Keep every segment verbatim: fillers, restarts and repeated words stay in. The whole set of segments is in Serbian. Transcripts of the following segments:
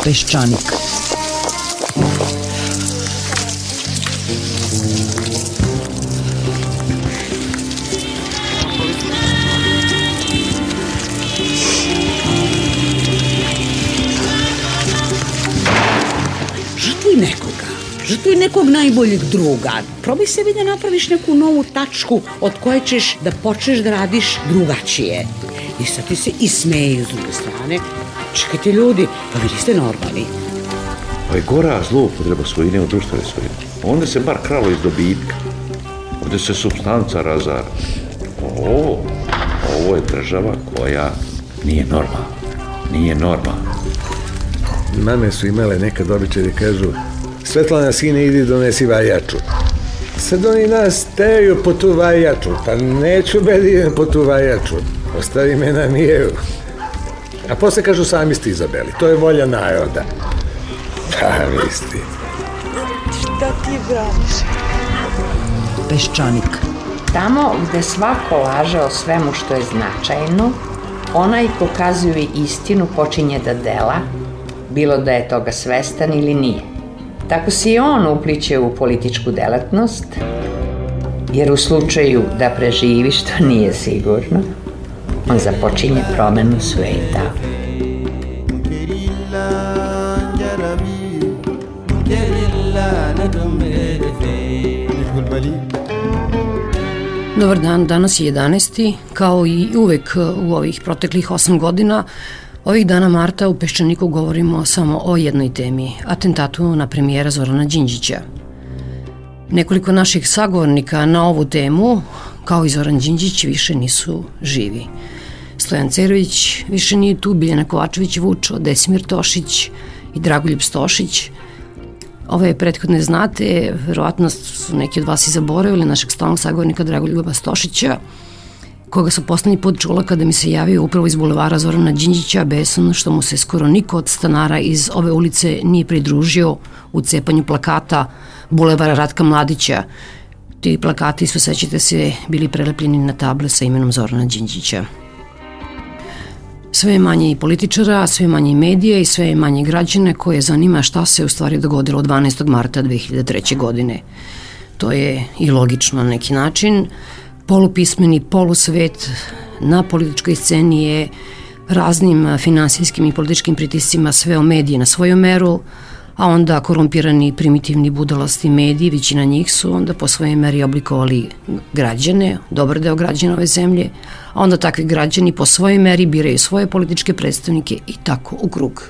Peščanik. Žrtvuj nekoga, žrtvuj nekog najboljeg druga. Probaj se vi da napraviš neku novu tačku od koje ćeš da počneš da radiš drugačije. I sad ti se i smeju s druge strane. Čekajte ljudi, pa vi niste normalni. Pa je gora zloupotreba svojine u društvene svojine. Onda se bar kralo iz dobitka. Ovdje se supstanca razara. Ovo, ovo je država koja nije normalna. Nije normalna. Mame su imale nekad običaj da kažu: Svetlana, sine, idi donesi vajaču. Sad oni nas teraju po tu vajaču. Pa neću be da idem po tu vajaču. Ostavi me na miru. A posle kažu: sami ste izabeli. To je volja naroda. Pa misli. Šta ti braniš? Peščanik. Tamo gde svako laže o svemu što je značajno, onaj ko kazuje istinu počinje da dela, bilo da je toga svestan ili nije. Tako se i on upliče u političku delatnost, jer u slučaju da preživi, što nije sigurno, on započinje promenu sveta. Dobar dan, danas je jedanaesti Kao i uvek u ovih proteklih osam godina, ovih dana marta u Peščaniku govorimo samo o jednoj temi, atentatu na premijera Zorana Đinđića. Nekoliko naših sagovornika na ovu temu, kao i Zoran Đinđić, više nisu živi. Stojan Cerović više nije tu, Biljana Kovačević-Vučo, Desimir Tošić i Dragoljub Stošić. Ove prethodne znate, verovatno su neki od vas i zaboravili našeg stalnog sagovornika Dragoljuba Stošića, koga su poslednji put čula kada mi se javio upravo iz bulevara Zorana Đinđića, besan što mu se skoro niko od stanara iz ove ulice nije pridružio u cepanju plakata bulevara Ratka Mladića. Ti plakati su, sećate se, bili prelepljeni na table sa imenom Zorana Đinđića. Sve je manje i političara, sve manje i medija i sve je manje građane koje zanima šta se u stvari dogodilo dvanaestog marta dve hiljade treće. godine. To je i logično na neki način. Polupismeni polusvet na političkoj sceni je raznim finansijskim i političkim pritiscima sveo medije na svoju meru, a onda korumpirani, primitivni, budalasti mediji, većina njih su onda po svojoj meri oblikovali građane, dobar deo građana ove zemlje, a onda takvi građani po svojoj meri biraju svoje političke predstavnike i tako u krug.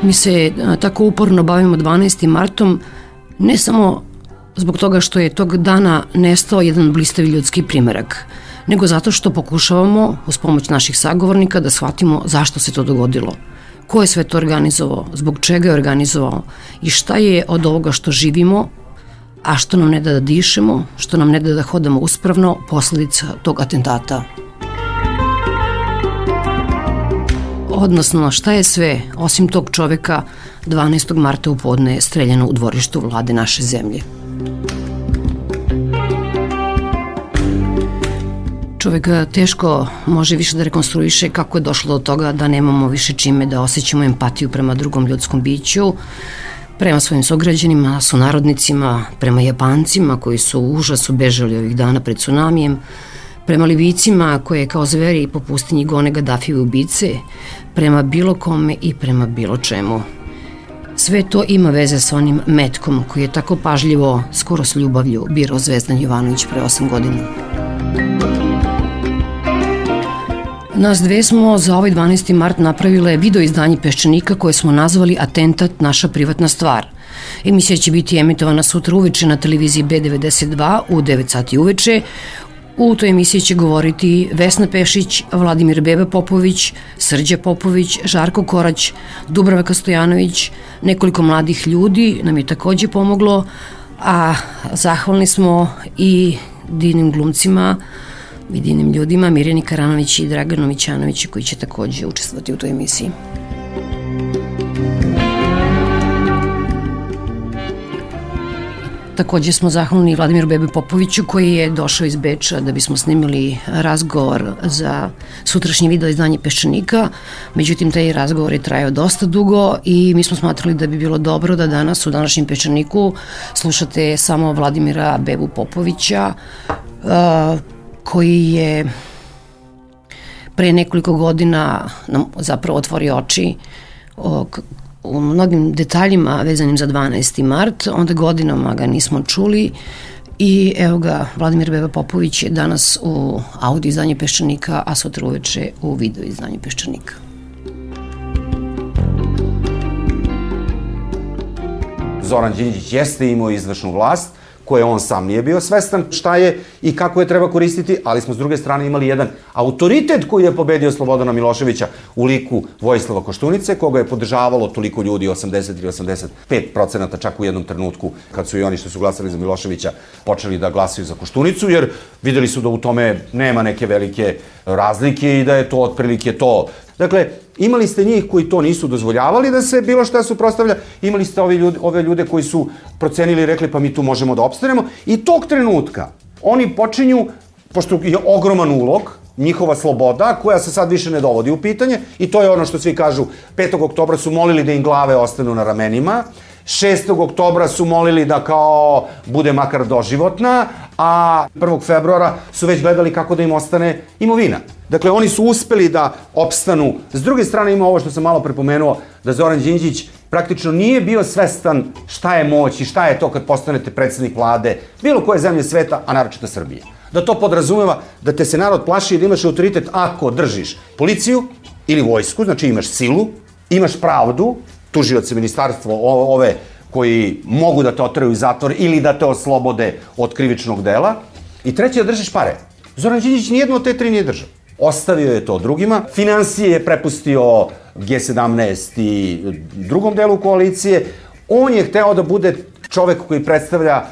Mi se tako uporno bavimo dvanaestim martom, ne samo zbog toga što je tog dana nestao jedan blistavi ljudski primerak, nego zato što pokušavamo, uz pomoć naših sagovornika, da shvatimo zašto se to dogodilo, ko je sve to organizovao, zbog čega je organizovao i šta je od ovoga što živimo, a što nam ne da da dišemo, što nam ne da da hodamo uspravno, posledica tog atentata. Odnosno, šta je sve, osim tog čoveka, dvanaestog marta u podne streljano u dvorištu vlade naše zemlje. Čovek teško može više da rekonstruiše kako je došlo do toga da nemamo više čime da osjećamo empatiju prema drugom ljudskom biću, prema svojim sugrađanima, sunarodnicima, prema Japancima koji su u užasu bežali ovih dana pred tsunamijem, prema Libijcima koje kao zveri po pustinji gone Gadafijeve ubice, prema bilo kome i prema bilo čemu. Sve to ima veze sa onim metkom koji je tako pažljivo, skoro s ljubavlju, birao Zvezdan Jovanović pre osam godina. Nas dve smo za ovaj dvanaesti mart napravile video izdanje Peščanika koje smo nazvali Atentat, naša privatna stvar. Emisija će biti emitovana sutra uveče na televiziji B devedeset dva u devet sati uveče. U toj emisiji će govoriti Vesna Pešić, Vladimir Beba Popović, Srđa Popović, Žarko Korać, Dubravka Stojanović, nekoliko mladih ljudi nam je takođe pomoglo, a zahvalni smo i divnim glumcima i divnim ljudima, Mirjani Karanović i Draganu Mićanović, koji će takođe učestvovati u toj emisiji. Takođe smo zahvalni Vladimiru Bebi Popoviću koji je došao iz Beča da bismo snimili razgovor za sutrašnje video izdanje Peščanika. Međutim, taj razgovor je trajao dosta dugo i mi smo smatrali da bi bilo dobro da danas u današnjem Peščaniku slušate samo Vladimira Bebu Popovića koji je pre nekoliko godina nam zapravo otvorio oči o u mnogim detaljima vezanim za dvanaesti mart, onda godinama ga nismo čuli i evo ga, Vladimir Beba Popović je danas u audio izdanje Peščanika, a sutra uveče u video izdanje Peščanika. Zoran Đinđić jeste imao izvršnu vlast, koje on sam nije bio svestan šta je i kako je treba koristiti, ali smo s druge strane imali jedan autoritet koji je pobedio Slobodana Miloševića u liku Vojislava Koštunice, koga je podržavalo toliko ljudi, osamdeset ili osamdeset pet procenata čak u jednom trenutku, kad su i oni što su glasali za Miloševića počeli da glasaju za Koštunicu, jer videli su da u tome nema neke velike razlike i da je to otprilike to. Dakle, imali ste njih koji to nisu dozvoljavali da se bilo šta suprotstavlja, imali ste ove ljude, ove ljude koji su procenili i rekli pa mi tu možemo da opstanemo i tog trenutka oni počinju, pošto je ogroman ulog, njihova sloboda koja se sad više ne dovodi u pitanje i to je ono što svi kažu, petog oktobra su molili da im glave ostanu na ramenima, šestog oktobra su molili da kao bude makar doživotna, a prvog februara su već gledali kako da im ostane imovina. Dakle, oni su uspeli da opstanu. S druge strane ima ovo što sam malo prepomenuo, da Zoran Đinđić praktično nije bio svestan šta je moć i šta je to kad postanete predsednik vlade bilo koje zemlje sveta, a naročito Srbije. Da to podrazumeva da te se narod plaši i da imaš autoritet ako držiš policiju ili vojsku, znači imaš silu, imaš pravdu, tužioce ministarstvo ove koji mogu da te oteraju u zatvor ili da te oslobode od krivičnog dela. I treće, da držiš pare. Zoran Đinđić nijedno od te tri nije držao. Ostavio je to drugima. Finansije je prepustio Ge sedamnaest i drugom delu koalicije. On je hteo da bude čovek koji predstavlja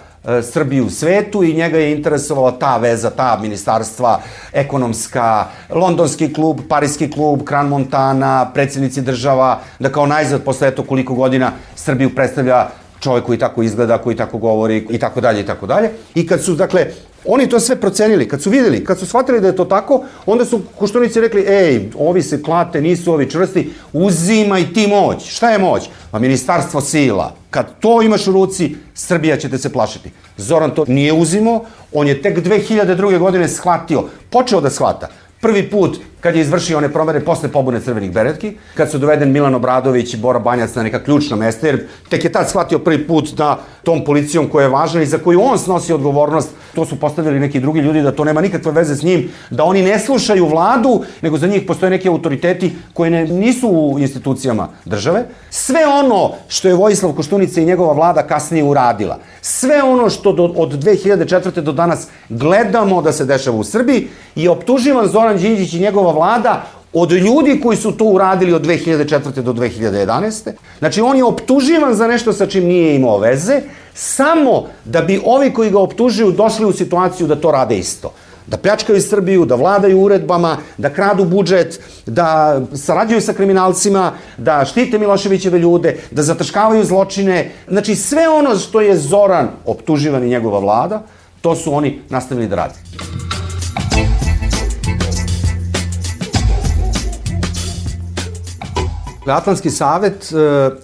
Srbiju u svetu i njega je interesovala ta veza, ta ministarstva, ekonomska, londonski klub, parijski klub, Kran Montana, predsjednici država, da kao najzad posle eto koliko godina Srbiju predstavlja čovek koji tako izgleda, koji tako govori i tako dalje i tako dalje. I kad su, dakle, oni to sve procenili, kad su videli, kad su shvatili da je to tako, onda su Koštunici rekli, ej, ovi se klate, nisu ovi čvrsti, uzimaj ti moć. Šta je moć? Pa ministarstvo sila. Kad to imaš u ruci, Srbija će te se plašiti. Zoran to nije uzimao, on je tek dve hiljade druge. godine shvatio, počeo da shvata. Prvi put kad je izvršio one promene posle pobune Crvenih beretki, kad su doveden Milan Obradović i Bora Banjac na neka ključna mesta, jer tek je tad shvatio prvi put da tom policijom koja je važna i za koju on snosi odgovornost, to su postavili neki drugi ljudi, da to nema nikakve veze s njim, da oni ne slušaju vladu, nego za njih postoje neki autoriteti koji ne, nisu u institucijama države. Sve ono što je Vojislav Koštunica i njegova vlada kasnije uradila, sve ono što do, od dve hiljade četvrte. do danas gledamo da se dešava u Srbiji, je optuživan Zoran Đinđić i njegova vlada od ljudi koji su to uradili od dve hiljade četvrte. do dve hiljade jedanaeste. Znači, on je optuživan za nešto sa čim nije imao veze, samo da bi ovi koji ga optužuju došli u situaciju da to rade isto. Da pljačkaju Srbiju, da vladaju uredbama, da kradu budžet, da sarađuju sa kriminalcima, da štite Miloševićeve ljude, da zataškavaju zločine. Znači, sve ono što je Zoran optuživan i njegova vlada, to su oni nastavili da rade. Atlantski savet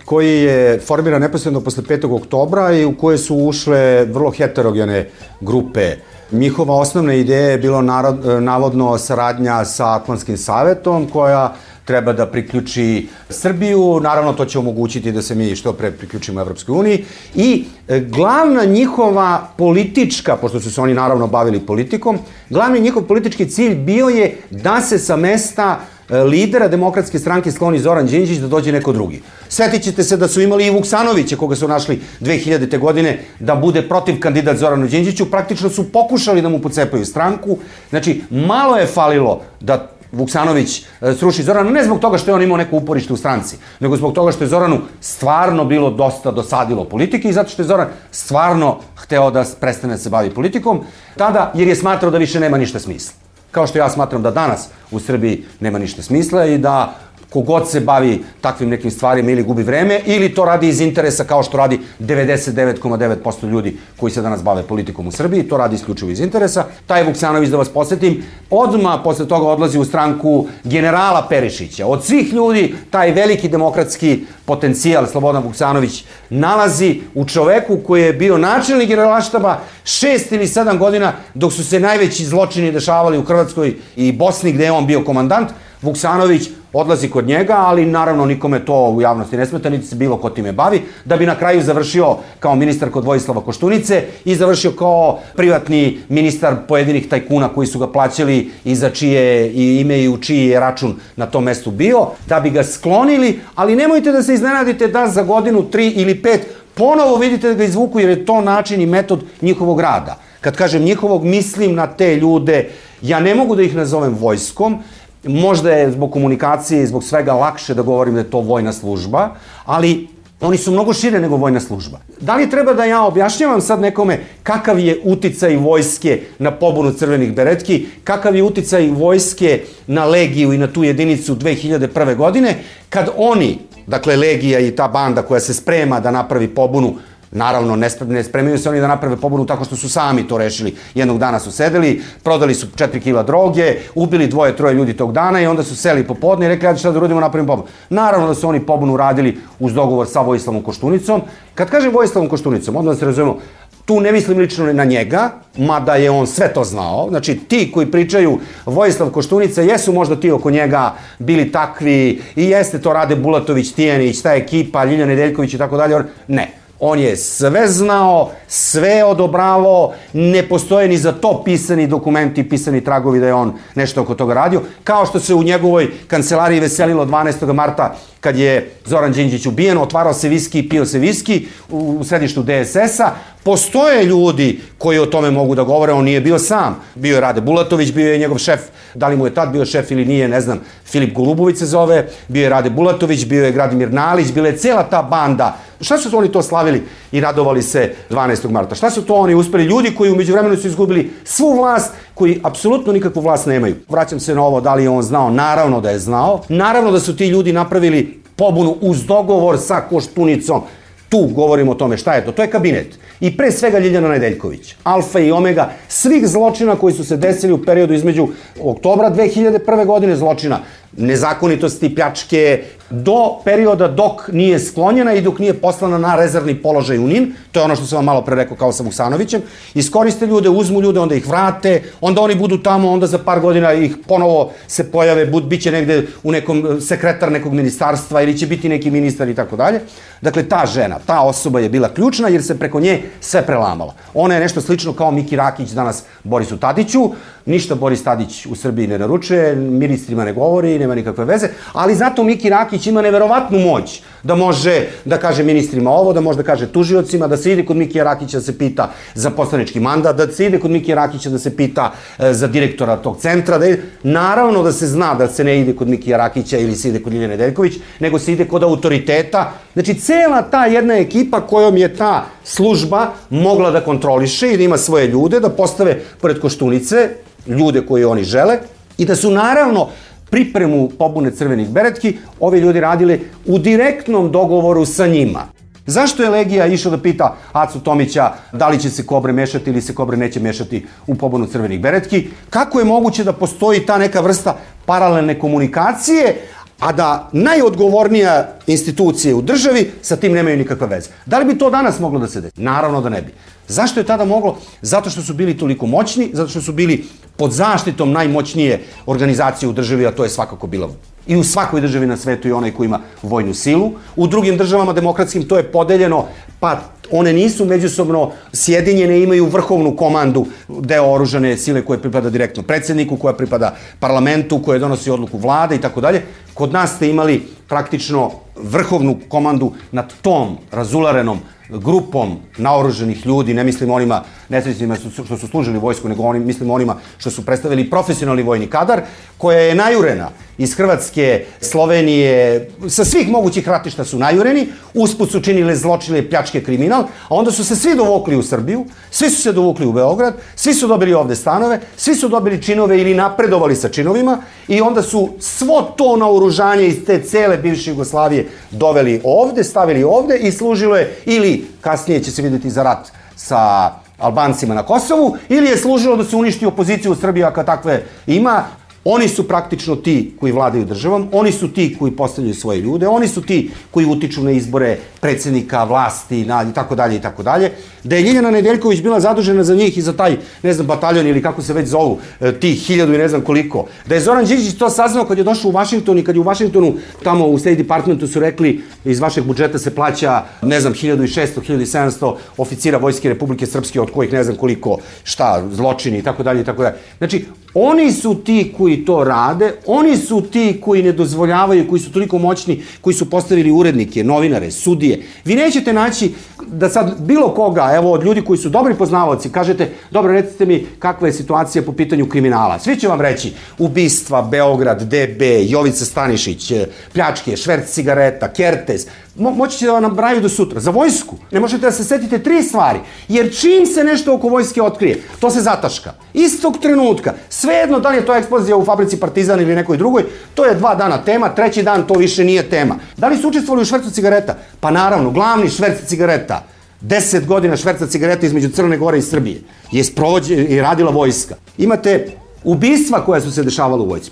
koji je formiran neposredno posle petog oktobra i u koje su ušle vrlo heterogene grupe. Njihova osnovna ideja je bilo narod, navodno saradnja sa Atlantskim savetom koja treba da priključi Srbiju, naravno to će omogućiti da se mi što pre priključimo Evropskoj uniji i glavna njihova politička, pošto su se oni naravno bavili politikom, glavni njihov politički cilj bio je da se sa mesta lidera Demokratske stranke skloni Zoran Đinđić, da dođe neko drugi. Setit ćete se da su imali i Vuksanovića, koga su našli dve hiljadite. godine, da bude protiv kandidat Zoranu Đinđiću. Praktično su pokušali da mu pocepaju stranku. Znači, malo je falilo da Vuksanović sruši Zorana, ne zbog toga što je on imao neko uporište u stranci, nego zbog toga što je Zoranu stvarno bilo dosta dosadilo politike i zato što je Zoran stvarno hteo da prestane da se bavi politikom, tada jer je smatrao da više nema ništa smisla. Kao što ja smatram da danas u Srbiji nema ništa smisla i da kogod se bavi takvim nekim stvarima ili gubi vreme, ili to radi iz interesa kao što radi devedeset devet zarez devet posto ljudi koji se danas bave politikom u Srbiji, to radi isključivo iz interesa. Taj Vuksanović, da vas podsjetim, odmah posle toga odlazi u stranku generala Perišića. Od svih ljudi taj veliki demokratski potencijal Slobodan Vuksanović nalazi u čoveku koji je bio načelnik generalštaba šest ili sedam godina dok su se najveći zločini dešavali u Hrvatskoj i Bosni gde je on bio komandant. Vuksanović odlazi kod njega, ali naravno nikome to u javnosti ne smeta, niti se bilo ko time bavi, da bi na kraju završio kao ministar kod Vojislava Koštunice i završio kao privatni ministar pojedinih tajkuna koji su ga plaćali i za čije i ime i u čiji je račun na tom mestu bio, da bi ga sklonili, ali nemojte da se iznenadite da za godinu, tri ili pet ponovo vidite da ga izvuku, jer je to način i metod njihovog rada. Kad kažem njihovog, mislim na te ljude, ja ne mogu da ih nazovem vojskom, možda je zbog komunikacije i zbog svega lakše da govorim da je to vojna služba, ali oni su mnogo šire nego vojna služba. Da li treba da ja objašnjavam sad nekome kakav je uticaj vojske na pobunu crvenih beretki, kakav je uticaj vojske na Legiju i na tu jedinicu dve hiljade prve. godine, kad oni, dakle Legija i ta banda koja se sprema da napravi pobunu, naravno, ne spremaju se oni da naprave pobunu tako što su sami to rešili. Jednog dana su sedeli, prodali su četiri kila droge, ubili dvoje, troje ljudi tog dana i onda su seli popodne i rekli, ajde šta da uradimo, napravimo pobunu. Naravno da su oni pobunu radili uz dogovor sa Vojislavom Koštunicom. Kad kažem Vojislavom Koštunicom, odmah da se razumemo, tu ne mislim lično na njega, mada je on sve to znao. Znači, ti koji pričaju Vojislav Koštunica, jesu možda ti oko njega bili takvi i jeste to Rade Bulatović, Tijanić, ta ekipa, Ljilja Nedeljković i tako dalje. Ne. On je sve znao, sve odobravao, ne postoje ni za to pisani dokumenti, pisani tragovi da je on nešto oko toga radio, kao što se u njegovoj kancelariji veselilo dvanaestog marta kad je Zoran Đinđić ubijen, otvarao se viski i pio se viski u središtu de es es a. Postoje ljudi koji o tome mogu da govore, on nije bio sam. Bio je Rade Bulatović, bio je njegov šef, da li mu je tad bio šef ili nije, ne znam, Filip Golubović se zove, bio je Rade Bulatović, bio je Gradimir Nalić, bila je cela ta banda. Šta su to oni to slavili i radovali se dvanaestog marta? Šta su to oni uspeli? Ljudi koji u međuvremenu su izgubili svu vlast, koji apsolutno nikakvu vlast nemaju. Vraćam se na ovo, da li je on znao? Naravno da je znao. Naravno da su ti ljudi napravili pobunu uz dogovor sa Koštunicom. Tu govorimo o tome šta je to. To je kabinet. I pre svega Ljiljana Nedeljković. Alfa i omega svih zločina koji su se desili u periodu između oktobra dve hiljade prve. godine, zločina nezakonitosti, pljačke, do perioda dok nije sklonjena i dok nije poslana na rezervni položaj u Nin, to je ono što sam vam malo pre rekao kao sa Vuksanovićem, iskoriste ljude, uzmu ljude, onda ih vrate, onda oni budu tamo, onda za par godina ih ponovo se pojave, bit će negde u nekom sekretar nekog ministarstva ili će biti neki ministar i tako dalje. Dakle, ta žena, ta osoba je bila ključna jer se preko nje sve prelamala. Ona je nešto slično kao Miki Rakić danas Borisu Tadiću, ništa Boris Tadić u Srbiji ne naručuje, ministrima ne govori, nema nikakve veze, ali zato Miki Rakić ima neverovatnu moć da može da kaže ministrima ovo, da može da kaže tužiocima, da se ide kod Mikija Rakića da se pita za poslanički mandat, da se ide kod Mikija Rakića da se pita e, za direktora tog centra. Da ide. Naravno da se zna da se ne ide kod Mikija Rakića ili se ide kod Ljilje Nedeljković, nego se ide kod autoriteta. Znači, cela ta jedna ekipa kojom je ta služba mogla da kontroliše i da ima svoje ljude, da postave pored Koštunice ljude koje oni žele i da su naravno pripremu pobune crvenih beretki ovi ljudi radili u direktnom dogovoru sa njima. Zašto je Legija išao da pita Acu Tomića da li će se Kobre mešati ili se Kobre neće mešati u pobunu crvenih beretki? Kako je moguće da postoji ta neka vrsta paralelne komunikacije, a da najodgovornija institucije u državi sa tim nemaju nikakve veze? Da li bi to danas moglo da se desi? Naravno da ne bi. Zašto je tada moglo? Zato što su bili toliko moćni, zato što su bili pod zaštitom najmoćnije organizacije u državi, a to je svakako bila i u svakoj državi na svetu i onaj koji ima vojnu silu. U drugim državama demokratskim to je podeljeno, pa one nisu međusobno sjedinjene, imaju vrhovnu komandu, deo oružane sile koje pripada direktno predsjedniku, koja pripada parlamentu, koja donosi odluku vlade i tako dalje. Kod nas ste imali praktično vrhovnu komandu nad tom razularenom grupom naoruženih ljudi, ne mislim onima nesrećnima što su služili vojsku, nego onim, mislim onima što su predstavili profesionalni vojni kadar, koja je najurena iz Hrvatske, Slovenije, sa svih mogućih ratišta su najureni, usput su činile zločine, pljačke, kriminal, a onda su se svi dovukli u Srbiju, svi su se dovukli u Beograd, svi su dobili ovde stanove, svi su dobili činove ili napredovali sa činovima i onda su svo to naoružanje iz te cele bivše Jugoslavije doveli ovde, stavili ovde i služilo je ili kasnije će se vidjeti za rat sa Albancima na Kosovu, ili je služilo da se uništi opoziciju u Srbiji, ako takve ima. Oni su praktično ti koji vladaju državom, oni su ti koji postavljaju svoje ljude, oni su ti koji utiču na izbore predsjednika, vlasti i tako dalje i tako dalje. Da je Ljiljana Nedeljković bila zadužena za njih i za taj, ne znam, bataljon ili kako se već zovu, tih hiljadu i ne znam koliko. Da je Zoran Đinđić to saznao kad je došao u Vašington i kad je u Vašingtonu, tamo u State Departmentu su rekli iz vašeg budžeta se plaća, ne znam, hiljadu šesto, hiljadu sedamsto oficira Vojske Republike Srpske, od kojih ne znam koliko, šta, zločini i tako dalje i tako dalje. Znači, oni su ti koji to rade, oni su ti koji ne dozvoljavaju, koji su toliko moćni, koji su postavili urednike, novinare, sudije. Vi nećete naći da sad bilo koga, evo od ljudi koji su dobri poznavaoci, kažete, dobro, recite mi kakva je situacija po pitanju kriminala. Svi će vam reći, ubistva, Beograd, D B, Jovica Stanišić, pljačke, šverc cigareta, Kertes, Mo, moći će da vam nabraju do sutra. Za vojsku ne možete da se setite tri stvari, jer čim se nešto oko vojske otkrije, to se zataška. Istog trenutka, svejedno da li je to eksplozija u fabrici Partizan ili nekoj drugoj, to je dva dana tema, treći dan to više nije tema. Da li su učestvovali u švercu cigareta? Pa naravno, glavni šverc cigareta, deset godina šverca cigareta između Crne Gore i Srbije, je sprovođena i radila vojska. Imate ubistva koja su se dešavala u vojsci.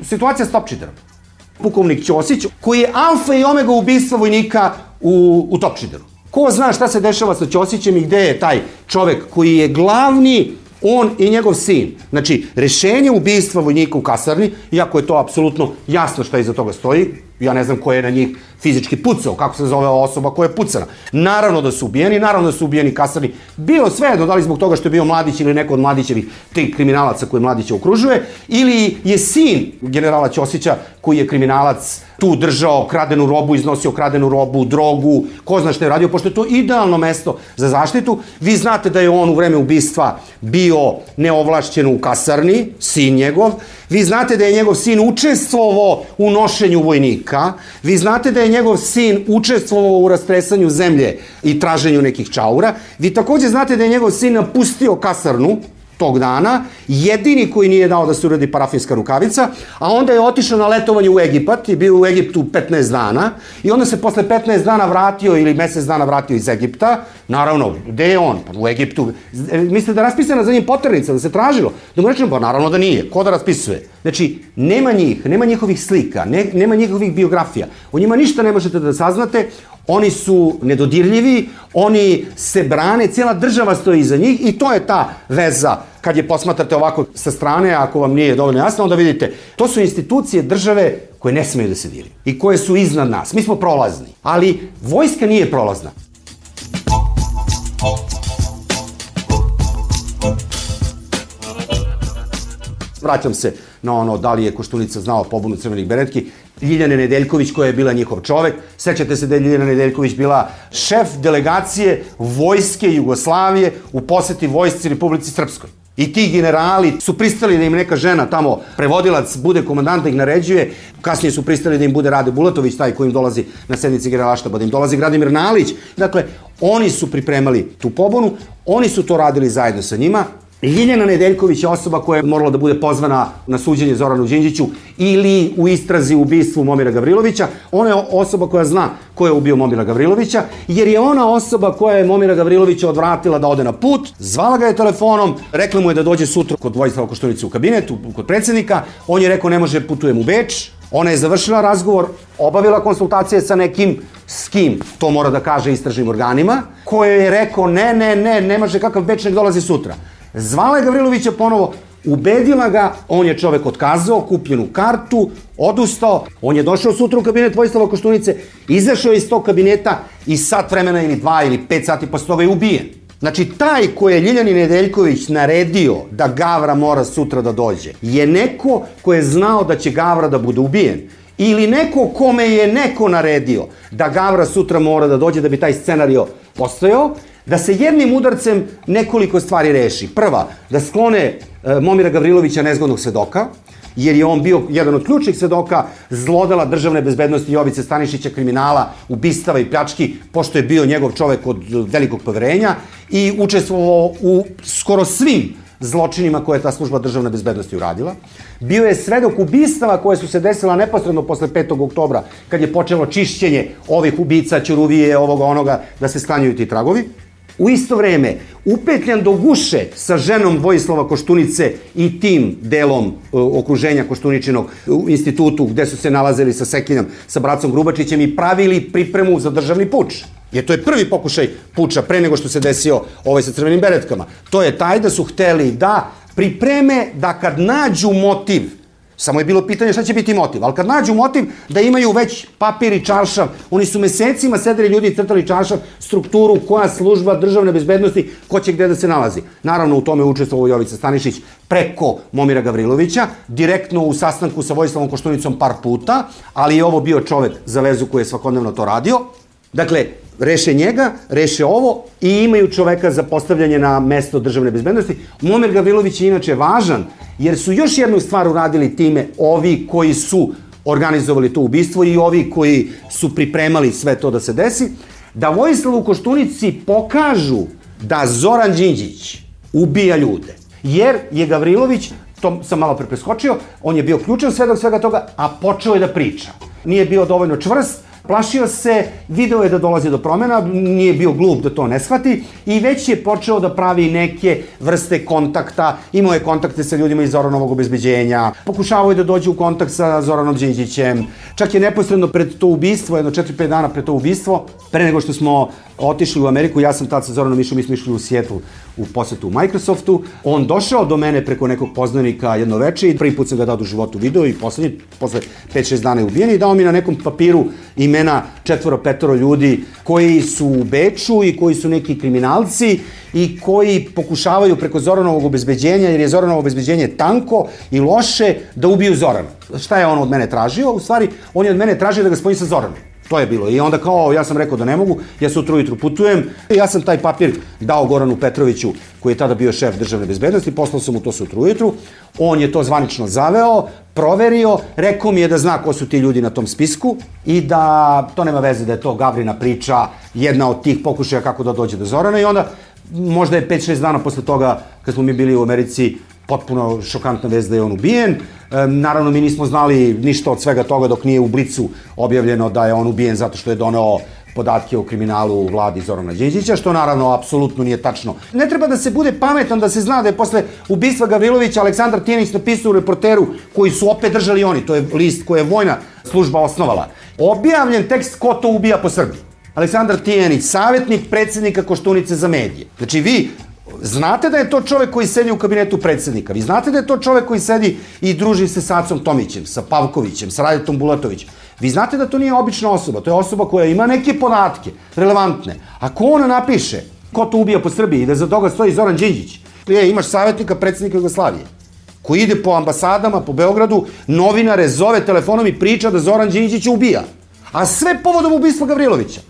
Situacija s Topčiderom. Pukovnik Ćosić, koji je alfa i omega ubistva vojnika u, u Topčideru. Ko zna šta se dešava sa Ćosićem i gde je taj čovek koji je glavni, on i njegov sin. Znači, rešenje ubistva vojnika u kasarni, iako je to apsolutno jasno šta iza toga stoji, ja ne znam ko je na njih fizički pucao, kako se zove osoba koja je pucana. Naravno da su ubijeni, naravno da su ubijeni kasarni. Bilo svejedno, da li zbog toga što je bio Mladić ili neko od Mladićevih tih kriminalaca koje Mladića okružuje, ili je sin generala Ćosića koji je kriminalac tu držao kradenu robu, iznosio kradenu robu, drogu, ko zna što je radio, pošto je to idealno mesto za zaštitu. Vi znate da je on u vreme ubistva bio neovlašćen u kasarni, sin njegov. Vi znate da je njegov sin učestvovao u nošenju vojnika. Vi znate da je njegov sin učestvovao u rastresanju zemlje i traženju nekih čaura. Vi takođe znate da je njegov sin napustio kasarnu tog dana, jedini koji nije dao da se uradi parafinska rukavica, a onda je otišao na letovanje u Egipat i bio u Egiptu petnaest dana i onda se posle petnaest dana vratio ili mesec dana vratio iz Egipta. Naravno, gde je on? Pa u Egiptu. Mislite da je raspisana za njim poternica, da se tražilo? Da mu rečemo, pa naravno da nije. Ko da raspisuje? Znači, nema njih, nema njihovih slika, ne, nema njihovih biografija. O njima ništa ne možete da saznate. Oni su nedodirljivi, oni se brane, cijela država stoji iza njih i to je ta veza. Kad je posmatrate ovako sa strane, ako vam nije dovoljno jasno, onda vidite, to su institucije države koje ne smeju da se diri i koje su iznad nas. Mi smo prolazni, ali vojska nije prolazna. Vraćam se na ono da li je Koštunica znao pobunu crvenih beretki. Ljiljane Nedeljković koja je bila njihov čovek. Sećate se da je Ljiljana Nedeljković bila šef delegacije vojske Jugoslavije u poseti vojsci Republici Srpskoj. I ti generali su pristali da im neka žena tamo, prevodilac, bude komandant da ih naređuje. Kasnije su pristali da im bude Rade Bulatović, taj koji im dolazi na sednici generalaštaba, da im dolazi Gradimir Nalić. Dakle, oni su pripremali tu pobunu, oni su to radili zajedno sa njima. Ljiljana Nedeljković je osoba koja je morala da bude pozvana na suđenje Zoranu Đinđiću ili u istrazi u ubistvu Momira Gavrilovića. Ona je osoba koja zna ko je ubio Momira Gavrilovića, jer je ona osoba koja je Momira Gavrilovića odvratila da ode na put, zvala ga je telefonom, rekla mu je da dođe sutra kod Vojislava Koštunice u kabinetu, kod predsjednika, on je rekao ne može, putujem u Beč. Ona je završila razgovor, obavila konsultacije sa nekim, s kim, to mora da kaže istražnim organima, koje je rekao ne, ne, ne, ne može, kakav Beč, nek dolazi sutra. Zvala je Gavrilovića ponovo, ubedila ga, on je čovek otkazao, kupljenu kartu, odustao, on je došao sutra u kabinet Vojislava Koštunice, izašao iz tog kabineta i sat vremena ili dva ili pet sati posle toga je ubijen. Znači, taj koji je Ljiljani Nedeljković naredio da Gavra mora sutra da dođe, je neko ko je znao da će Gavra da bude ubijen. ili neko kome je neko naredio da Gavra sutra mora da dođe da bi taj scenario postojao, da se jednim udarcem nekoliko stvari reši. Prva, da sklone e, Momira Gavrilovića, nezgodnog svedoka, jer je on bio jedan od ključnih svedoka zlodela državne bezbednosti Jovice Stanišića, kriminala, ubistava i pljački, pošto je bio njegov čovek od velikog poverenja i učestvovao u skoro svim zločinima koje je ta služba državne bezbednosti uradila. Bio je svedok ubistava koje su se desila neposredno posle petog oktobra, kad je počelo čišćenje ovih ubica, Ćuruvije, ovoga, onoga, da se sklanjaju ti tragovi. U isto vreme, upetljan do guše sa ženom Vojislava Koštunice i tim delom uh, okruženja Koštuničinog u institutu gde su se nalazili sa Sekinjom, sa bracom Grubačićem i pravili pripremu za državni puč. Jer to je prvi pokušaj puča pre nego što se desio ovaj sa crvenim beretkama. To je taj da su hteli da pripreme da kad nađu motiv, samo je bilo pitanje šta će biti motiv, ali kad nađu motiv da imaju već papir i čaršav, oni su mesecima sedeli ljudi i crtali čaršav, strukturu, koja služba državne bezbednosti, ko će gde da se nalazi. Naravno u tome učestvovao Jovica Stanišić preko Momira Gavrilovića, direktno u sastanku sa Vojislavom Koštunicom par puta, ali je ovo bio čovek za vezu koji je svakodnevno to radio. Dakle, reše njega, reše ovo i imaju čoveka za postavljanje na mesto državne bezbednosti. Momir Gavrilović je inače važan, jer su još jednu stvar uradili time ovi koji su organizovali to ubistvo i ovi koji su pripremali sve to da se desi, da Vojislavu Koštunici pokažu da Zoran Đinđić ubija ljude. Jer je Gavrilović, to sam malo pre preskočio, on je bio ključan svedok svega toga, a počeo je da priča. Nije bio dovoljno čvrst, plašio se, video je da dolazi do promjena, nije bio glup da to ne shvati i već je počeo da pravi neke vrste kontakta, imao je kontakte sa ljudima iz Zoranovog obezbeđenja, pokušavao je da dođe u kontakt sa Zoranom Đinđićem, čak je neposredno pred to ubistvo, jedno četiri pet dana pred to ubistvo, pre nego što smo otišli u Ameriku, ja sam tad sa Zoranom išao, mi smo išli u Seattle u posetu u Microsoftu, on došao do mene preko nekog poznanika jedno veče i prvi put sam ga dao u životu video i poslednji, posle pet šest dana je ubijen i dao mi na nekom papiru imena četvoro, petoro ljudi koji su u Beču i koji su neki kriminalci i koji pokušavaju preko Zoranovog obezbeđenja, jer je Zoranovo obezbeđenje tanko i loše, da ubiju Zorana. Šta je on od mene tražio? U stvari, on je od mene tražio da ga spojim sa Zoranom. To je bilo. I onda kao, ja sam rekao da ne mogu, ja sutra ujutru putujem. Ja sam taj papir dao Goranu Petroviću, koji je tada bio šef državne bezbednosti, poslao sam mu to sutra ujutru. On je to zvanično zaveo, proverio, rekao mi je da zna ko su ti ljudi na tom spisku i da to nema veze da je to Gavrina priča, jedna od tih pokušaja kako da dođe do Zorana i onda možda je pet šest dana posle toga, kad smo mi bili u Americi, potpuno šokantna vest da je on ubijen. E, naravno, mi nismo znali ništa od svega toga dok nije u Blicu objavljeno da je on ubijen zato što je doneo podatke o kriminalu u vladi Zorana Đinđića, što naravno apsolutno nije tačno. Ne treba da se bude pametan da se zna da je posle ubistva Gavrilovića Aleksandar Tijanić napisao u Reporteru, koji su opet držali oni, to je list koji je vojna služba osnovala, objavljen tekst ko to ubija po Srbiji. Aleksandar Tijanić, savjetnik predsjednika Koštunice za medije. Znači vi znate da je to čovek koji sedi u kabinetu predsjednika, vi znate da je to čovek koji sedi i druži se sa Acom Tomićem, sa Pavkovićem, sa Radetom Bulatovićem. Vi znate da to nije obična osoba, to je osoba koja ima neke podatke, relevantne. Ako ona napiše ko to ubija po Srbiji i da za toga stoji Zoran Đinđić, je, imaš savjetnika predsjednika Jugoslavije, koji ide po ambasadama, po Beogradu, novinare zove telefonom i priča da Zoran Đinđić ubija. A sve povodom ubistva Gavrilovića.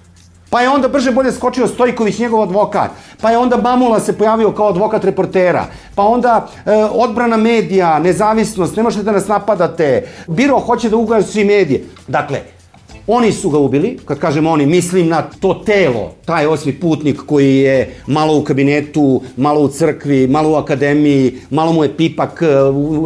Pa je onda brže bolje skočio Stojković, njegov advokat, pa je onda Mamula se pojavio kao advokat Reportera, pa onda e, odbrana medija, nezavisnost, ne možete da nas napadate, biro hoće da ugasi medije. Dakle, oni su ga ubili, kad kažem oni, mislim na to telo, taj osmi putnik koji je malo u kabinetu, malo u crkvi, malo u akademiji, malo mu je pipak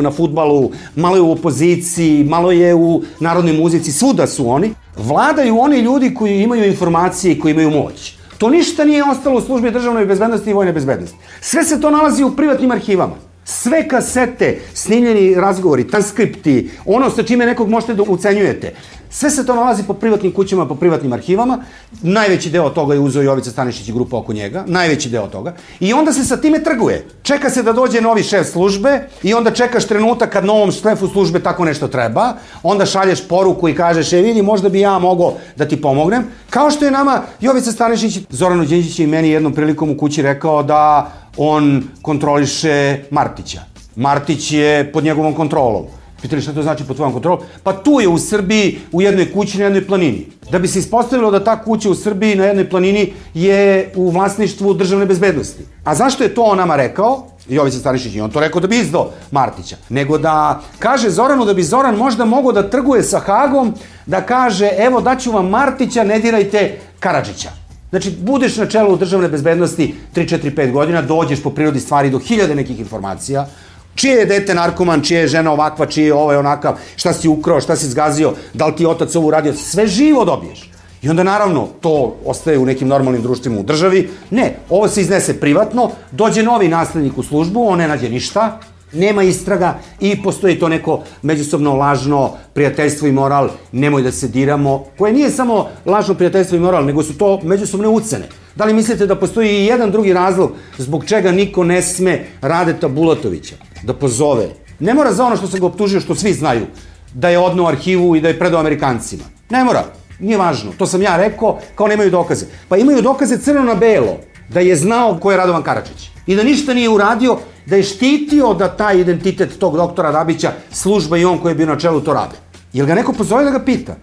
na fudbalu, malo je u opoziciji, malo je u narodnoj muzici, svuda su oni. Vladaju oni ljudi koji imaju informacije i koji imaju moć. To ništa nije ostalo u službi državne bezbednosti i vojne bezbednosti. Sve se to nalazi u privatnim arhivama. Sve kasete, snimljeni razgovori, transkripti, ono sa čime nekog možete da ucenjujete. Sve se to nalazi po privatnim kućama, po privatnim arhivama. Najveći deo toga je uzeo Jovica Stanišić i grupa oko njega. Najveći deo toga. I onda se sa time trguje. Čeka se da dođe novi šef službe i onda čekaš trenutak kad novom šefu službe tako nešto treba. Onda šalješ poruku i kažeš, e vidi, možda bi ja mogao da ti pomognem. Kao što je nama Jovica Stanišić, Zoranu Đinđiću i meni jednom prilikom u kući rekao da on kontroliše Martića. Martić je pod njegovom kontrolom. Pitali šta to znači pod tvojom kontrolom? Pa tu je u Srbiji, u jednoj kući na jednoj planini. Da bi se ispostavilo da ta kuća u Srbiji na jednoj planini je u vlasništvu državne bezbednosti. A zašto je to on nama rekao? Jovica Stanišić, i on to rekao da bi izdao Martića. Nego da kaže Zoranu da bi Zoran možda mogao da trguje sa Hagom, da kaže evo daću vam Martića, ne dirajte Karadžića. Znači, budeš na čelu državne bezbednosti tri, četiri, pet godina, dođeš po prirodi stvari do hiljade nekih informacija, čije je dete narkoman, čije je žena ovakva, čije je ovaj onakav, šta si ukrao, šta si zgazio, da li ti otac ovo uradio, sve živo dobiješ. I onda naravno to ostaje u nekim normalnim društvima u državi. Ne, ovo se iznese privatno, dođe novi naslednik u službu, on ne nađe ništa, nema istraga i postoji to neko međusobno lažno prijateljstvo i moral, nemoj da se diramo, koje nije samo lažno prijateljstvo i moral, nego su to međusobne ucene. Da li mislite da postoji i jedan drugi razlog zbog čega niko ne sme Radeta Bulatovića da pozove? Ne mora za ono što se ga optužio, što svi znaju, da je odneo arhivu i da je predao Amerikancima. Ne mora, nije važno, to sam ja rekao, kao nemaju dokaze. Pa imaju dokaze crno na belo, da je znao ko je Radovan Karadžić i da ništa nije uradio, da je štitio da taj identitet tog doktora Dabića, služba i on koji je bio na čelu to rade. Jel ga neko pozove da ga pita?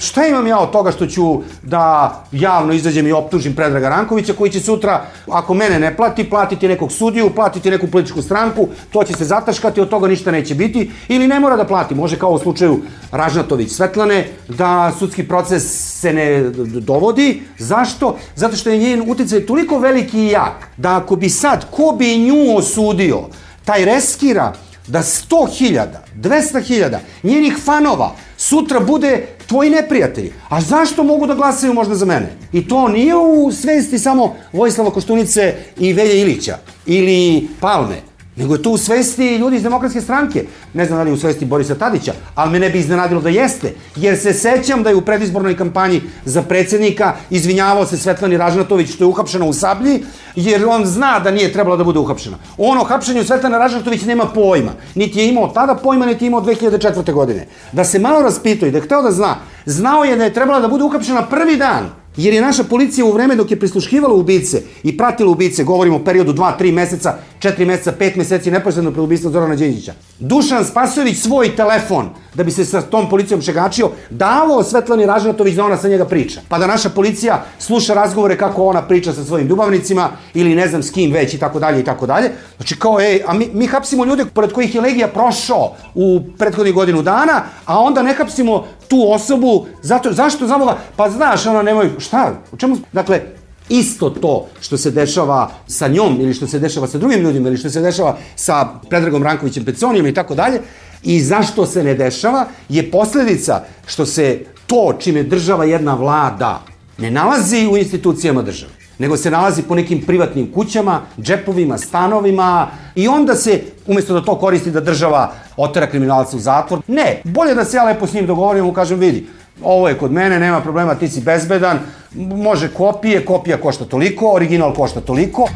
Šta imam ja od toga što ću da javno izađem i optužim Predraga Rankovića, koji će sutra, ako mene ne plati, platiti nekog sudiju, platiti neku političku stranku, to će se zataškati, od toga ništa neće biti, ili ne mora da plati, može kao u slučaju Ražnatović Svetlane, da sudski proces se ne dovodi. Zašto? Zato što je njen uticaj toliko veliki i jak, da ako bi sad, ko bi nju osudio, taj reskira da sto hiljada, dvesta hiljada njenih fanova sutra bude tvoji neprijatelji. A zašto mogu da glasaju možda za mene? I to nije u svesti samo Vojislava Koštunice i Velje Ilića ili Palme, nego je to u svesti ljudi iz Demokratske stranke. Ne znam da li je u svesti Borisa Tadića, ali me ne bi iznenadilo da jeste, jer se sećam da je u predizbornoj kampanji za predsjednika izvinjavao se Svetlani Ražnatović što je uhapšena u Sablji, jer on zna da nije trebala da bude uhapšena. On o hapšenju Svetlane Ražnatović nema pojma. Niti je imao tada pojma, niti je imao dve hiljade četvrte. godine. Da se malo raspitao i da je hteo da zna, znao je da je trebala da bude uhapšena prvi dan, jer je naša policija u vreme dok je prisluškivala ubice i pratila ubice, govorimo o periodu dva, tri meseca, četiri meseca, pet meseci neposredno pred ubistvom Zorana Đinđića, Dušan Spasojević svoj telefon, da bi se sa tom policijom šegačio, davao Svetlani Ražnatović da ona sa njega priča. Pa da naša policija sluša razgovore kako ona priča sa svojim ljubavnicima ili ne znam s kim već i tako dalje i tako dalje. Znači kao, ej, a mi, mi hapsimo ljude pored kojih je Legija prošao u prethodnih godinu dana, a onda ne hapsimo tu osobu, zato, zašto zaboga? Pa znaš, ona nemoj, šta, u čemu, dakle, isto to što se dešava sa njom ili što se dešava sa drugim ljudima ili što se dešava sa Predragom Rankovićem Peconijem i tako dalje, i zašto se ne dešava je posledica što se to čime država jedna vlada ne nalazi u institucijama države, nego se nalazi po nekim privatnim kućama, džepovima, stanovima, i onda se, umjesto da to koristi da država otera kriminalca u zatvor, ne, bolje da se ja lepo s njim dogovorim, mu kažem, vidi, ovo je kod mene, nema problema, ti si bezbedan, može kopije, kopija košta toliko, original košta toliko.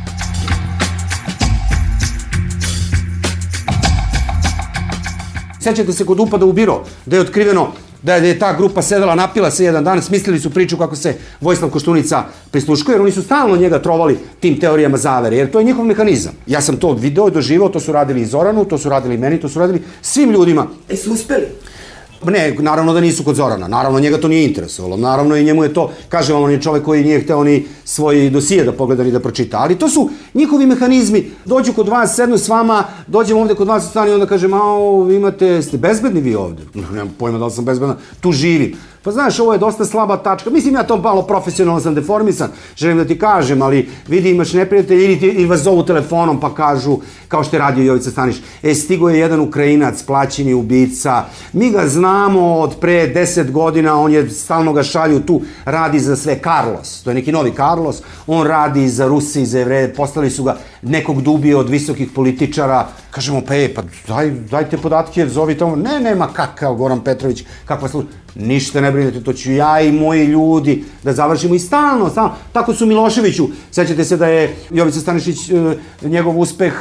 Sećate se kod upada u biro, da je otkriveno da je ta grupa sedela, napila se jedan dan, smislili su priču kako se Vojislav Koštunica prisluškuje, jer oni su stalno njega trovali tim teorijama zavere, jer to je njihov mehanizam. Ja sam to video i doživao, to su radili i Zoranu, to su radili i meni, to su radili svim ljudima. E su uspeli? Ne, naravno da nisu kod Zorana, naravno njega to nije interesovalo, naravno i njemu je to, kažem vam, on je čovek koji nije hteo ni svoj dosije da pogleda ni da pročita, ali to su njihovi mehanizmi, dođu kod vas, sednu s vama, dođem ovde kod vas u stan i onda kažem, a vi imate, ste bezbedni vi ovde? Nemam pojma da li sam bezbedan, tu živim. Pa znaš, ovo je dosta slaba tačka, mislim ja to malo profesionalno sam deformisan, želim da ti kažem, ali vidi imaš neprijatelj ili, ili vas zovu telefonom pa kažu, kao što je radio Jovica Stanišić, e, stigo je jedan Ukrajinac, plaćeni ubica, mi ga znamo od pre deset godina, on je, stalno ga šalju tu, radi za sve, Carlos, to je neki novi Carlos, on radi za Ruse i za Jevreje, postali su ga nekog dubije od visokih političara, kažemo, pa e, pa daj, dajte podatke, zovi tamo, ne, nema kakav Goran Petrović, kakva služba, ništa ne brinete, to ću ja i moji ljudi da završimo i stalno, stalno. Tako su Miloševiću. Sećate se da je Jovica Stanišić, njegov uspeh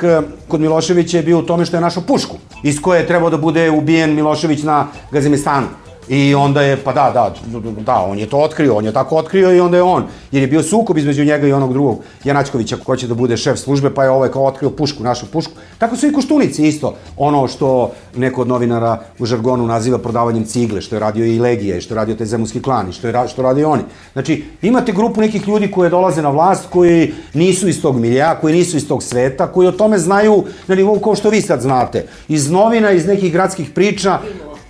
kod Miloševića je bio u tome što je našao pušku, iz koje je trebao da bude ubijen Milošević na Gazimestanu. I onda je, pa da, da, da, on je to otkrio, on je tako otkrio i onda je on, jer je bio sukob između njega i onog drugog Janačkovića ko će da bude šef službe, pa je ovaj kao otkrio pušku, našu pušku. Tako su i Koštunici isto, ono što neko od novinara u žargonu naziva prodavanjem cigle, što je radio i Legija, što je radio taj zemunski klan i što, je, što radi oni. Znači, imate grupu nekih ljudi koji dolaze na vlast, koji nisu iz tog milija, koji nisu iz tog sveta, koji o tome znaju na nivou kao što vi sad znate. Iz novina, iz nekih gradskih priča,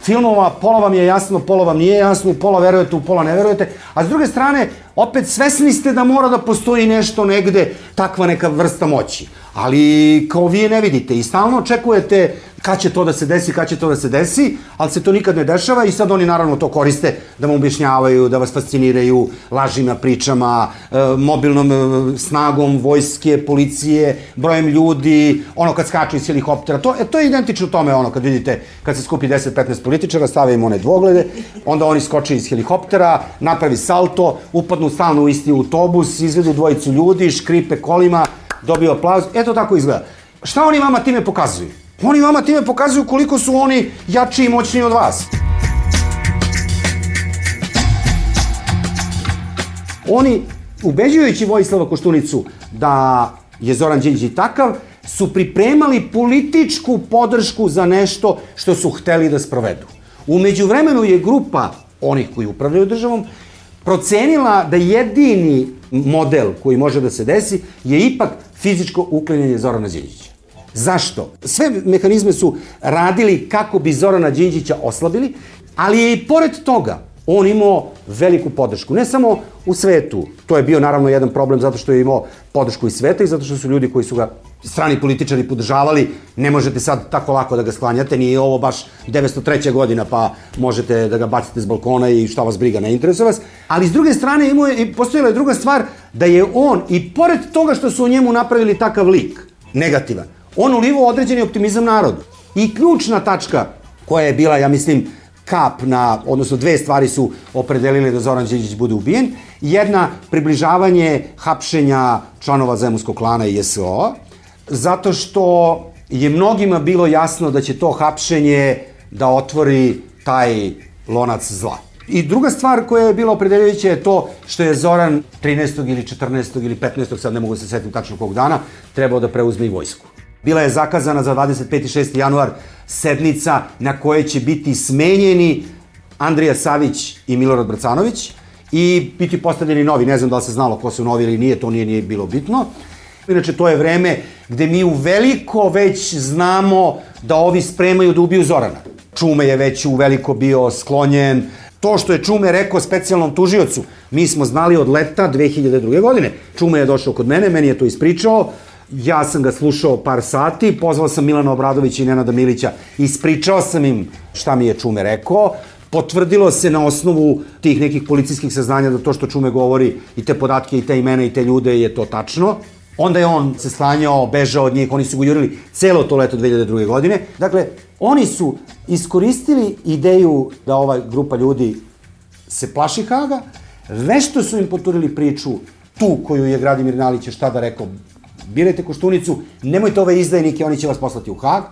filmova, pola vam je jasno, pola vam nije jasno, pola verujete, u pola ne verujete, a s druge strane, opet svesni ste da mora da postoji nešto negde, takva neka vrsta moći. Ali kao vi je ne vidite i stalno očekujete kad će to da se desi, kad će to da se desi, ali se to nikad ne dešava i sad oni naravno to koriste da vam objašnjavaju, da vas fasciniraju lažima, pričama, e, mobilnom e, snagom vojske, policije, brojem ljudi, ono kad skaču iz helikoptera, to, e, to je identično tome, ono kad vidite, kad se skupi deset petnaest političara, stave im one dvoglede, onda oni skoče iz helikoptera, napravi salto, upadnu stalno u isti autobus, izvedu dvojicu ljudi, škripe kolima, dobiju aplauz, eto tako izgleda. Šta oni vama time pokazuju? Oni vama time pokazuju koliko su oni jači i moćniji od vas. Oni, ubeđujući Vojislava Koštunicu da je Zoran Đinđić takav, su pripremali političku podršku za nešto što su hteli da sprovedu. U međuvremenu je grupa onih koji upravljaju državom procenila da jedini model koji može da se desi je ipak fizičko uklanjanje Zorana Đinđića. Zašto? Sve mehanizme su radili kako bi Zorana Đinđića oslabili, ali je i pored toga on imao veliku podršku. Ne samo u svetu, to je bio naravno jedan problem zato što je imao podršku iz sveta i zato što su ljudi koji su ga strani političari podržavali, ne možete sad tako lako da ga sklanjate, nije ovo baš devetsto treća godina pa možete da ga bacite s balkona i šta vas briga, ne interesuje vas. Ali s druge strane imao je, postojala je druga stvar da je on, i pored toga što su u njemu napravili takav lik, negativan, on ulivao određeni optimizam narodu. I ključna tačka koja je bila, ja mislim, kap na, odnosno dve stvari su opredelile da Zoran Đinđić bude ubijen. Jedna, približavanje hapšenja članova zemunskog klana i es o a, zato što je mnogima bilo jasno da će to hapšenje da otvori taj lonac zla. I druga stvar koja je bila opredeljujuća je to što je Zoran trinaestog ili četrnaestog ili petnaestog, sad ne mogu se setiti tačno kog dana, trebao da preuzme i vojsku. Bila je zakazana za dvadeset peti i šesti januar sednica na kojoj će biti smenjeni Andrija Savić i Milorad Bracanović i biti postavljeni novi. Ne znam da li se znalo ko su novi ili nije, to nije, nije bilo bitno. Inače, to je vreme gde mi u veliko već znamo da ovi spremaju da ubiju Zorana. Čume je već u veliko bio sklonjen. To što je Čume rekao specijalnom tužiocu, mi smo znali od leta dve hiljade druge. godine. Čume je došao kod mene, meni je to ispričao. Ja sam ga slušao par sati, pozvao sam Milana Obradovića i Nenada Milića, ispričao sam im šta mi je Čume rekao, potvrdilo se na osnovu tih nekih policijskih saznanja da to što Čume govori i te podatke i te imena i te ljude je to tačno. Onda je on se sklanjao, bežao od njih, oni su go jurili celo to leto dve hiljade druge. godine. Dakle, oni su iskoristili ideju da ova grupa ljudi se plaši Haga, vešto su im poturili priču, tu koju je Gradimir Nalić šta da rekao, birajte Koštunicu, nemojte ove izdajnike, oni će vas poslati u Hag.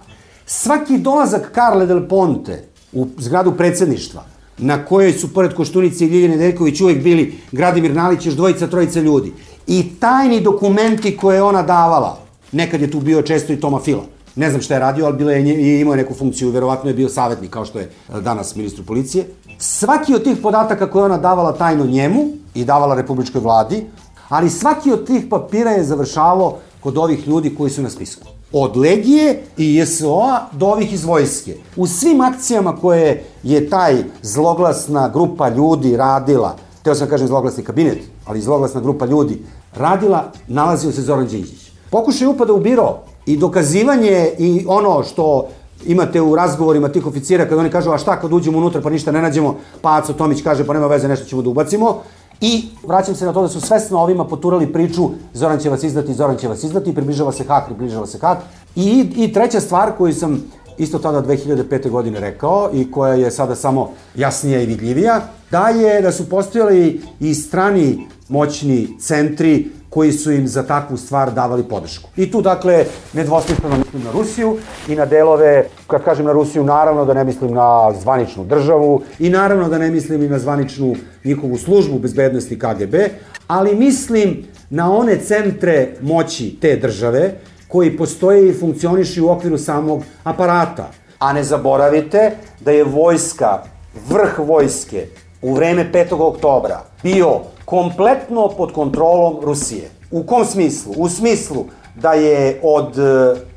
Svaki dolazak Carle del Ponte u zgradu predsjedništva, na kojoj su pored Koštunice i Ljiljane Nedeljković uvek bili Gradimir Nalić, još dvojica, trojica ljudi, i tajni dokumenti koje je ona davala, nekad je tu bio često i Toma Fila, ne znam šta je radio, ali bila je, i imao je neku funkciju, verovatno je bio savjetnik, kao što je danas ministru policije. Svaki od tih podataka koje ona davala tajno njemu i davala republičkoj vladi, ali svaki od tih papira je završavao kod ovih ljudi koji su na spisku. Od Legije i es o a do ovih iz vojske. U svim akcijama koje je taj zloglasna grupa ljudi radila, teo sam kažem zloglasni kabinet, ali zloglasna grupa ljudi radila, nalazio se Zoran Đinđić. Pokušaj upada u biro i dokazivanje i ono što imate u razgovorima tih oficira kada oni kažu a šta kad uđemo unutra pa ništa ne nađemo, pa Aco Tomić kaže pa nema veze, nešto ćemo da ubacimo. I vraćam se na to da su svesno ovima poturali priču Zoran će vas izdati, Zoran će vas izdati, približava se Hak, približava se Hak. I, i treća stvar koju sam isto tada dve hiljade pete. godine rekao i koja je sada samo jasnija i vidljivija, da je da su postojali i strani moćni centri koji su im za takvu stvar davali podršku. I tu, dakle, nedvosmisleno mislim na Rusiju i na delove, kad kažem na Rusiju, naravno da ne mislim na zvaničnu državu i naravno da ne mislim i na zvaničnu njihovu službu bezbednosti K G B, ali mislim na one centre moći te države koji postoje i funkcionišu u okviru samog aparata. A ne zaboravite da je vojska, vrh vojske, u vreme petog oktobra bio kompletno pod kontrolom Rusije. U kom smislu? U smislu da je od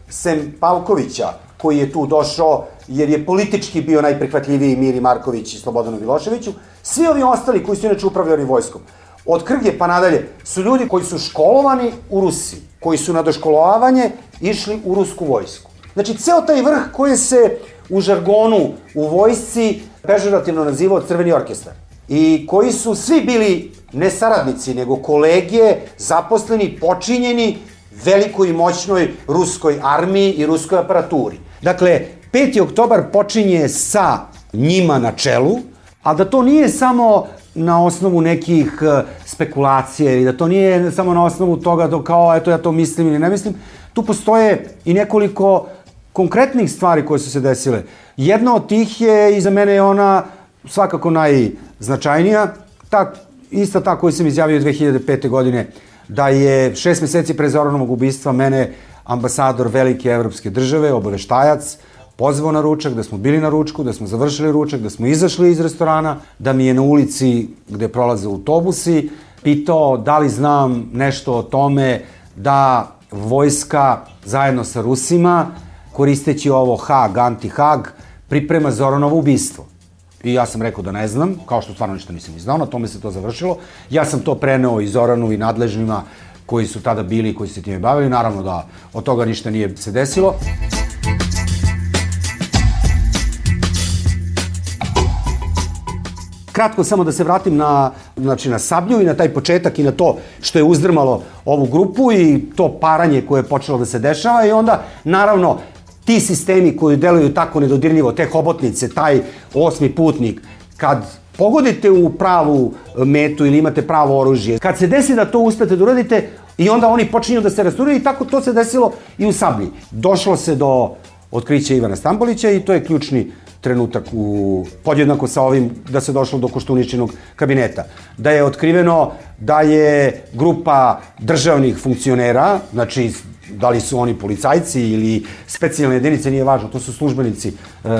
sem Pavkovića, koji je tu došao jer je politički bio najprihvatljiviji Miri Marković i Slobodanu Miloševiću, svi ovi ostali koji su inače upravljali vojskom, od Krge pa nadalje, su ljudi koji su školovani u Rusiji, koji su na doškolovanje išli u rusku vojsku. Znači, ceo taj vrh koji se u žargonu u vojsci pežorativno nazivao Crveni orkestar i koji su svi bili ne saradnici, nego kolege, zaposleni, počinjeni velikoj i moćnoj ruskoj armiji i ruskoj aparaturi. Dakle, peti oktobar počinje sa njima na čelu, a da to nije samo na osnovu nekih spekulacija ili da to nije samo na osnovu toga da kao, eto ja to mislim ili ne mislim, tu postoje i nekoliko konkretnih stvari koje su se desile. Jedna od tih je, i za mene je ona svakako najznačajnija, ta, ista ta koju sam izjavio dve hiljade pete. godine, da je šest meseci pre Zoranovog ubistva mene ambasador velike evropske države, obaveštajac, pozvao na ručak, da smo bili na ručku, da smo završili ručak, da smo izašli iz restorana, da mi je na ulici gde prolaze autobusi pitao da li znam nešto o tome da vojska zajedno sa Rusima, koristeći ovo Hag, anti-Hag, priprema Zoranovo ubistvo. I ja sam rekao da ne znam, kao što stvarno ništa nisam znao, na tome se to završilo. Ja sam to preneo i Zoranu i nadležnima koji su tada bili i koji su se time bavili. Naravno da od toga ništa nije se desilo. Kratko samo da se vratim na, znači, na Sablju i na taj početak i na to što je uzdrmalo ovu grupu i to paranje koje je počelo da se dešava i onda, naravno, ti sistemi koji deluju tako nedodirljivo, te hobotnice, taj osmi putnik, kad pogodite u pravu metu ili imate pravo oružje, kad se desi da to uspete da uradite i onda oni počinju da se rasturaju i tako to se desilo i u Sablji. Došlo se do otkrića Ivana Stambolića i to je ključni trenutak u podjednako sa ovim da se došlo do Koštuničinog kabineta. Da je otkriveno da je grupa državnih funkcionera, znači da li su oni policajci ili specijalne jedinice, nije važno, to su službenici e,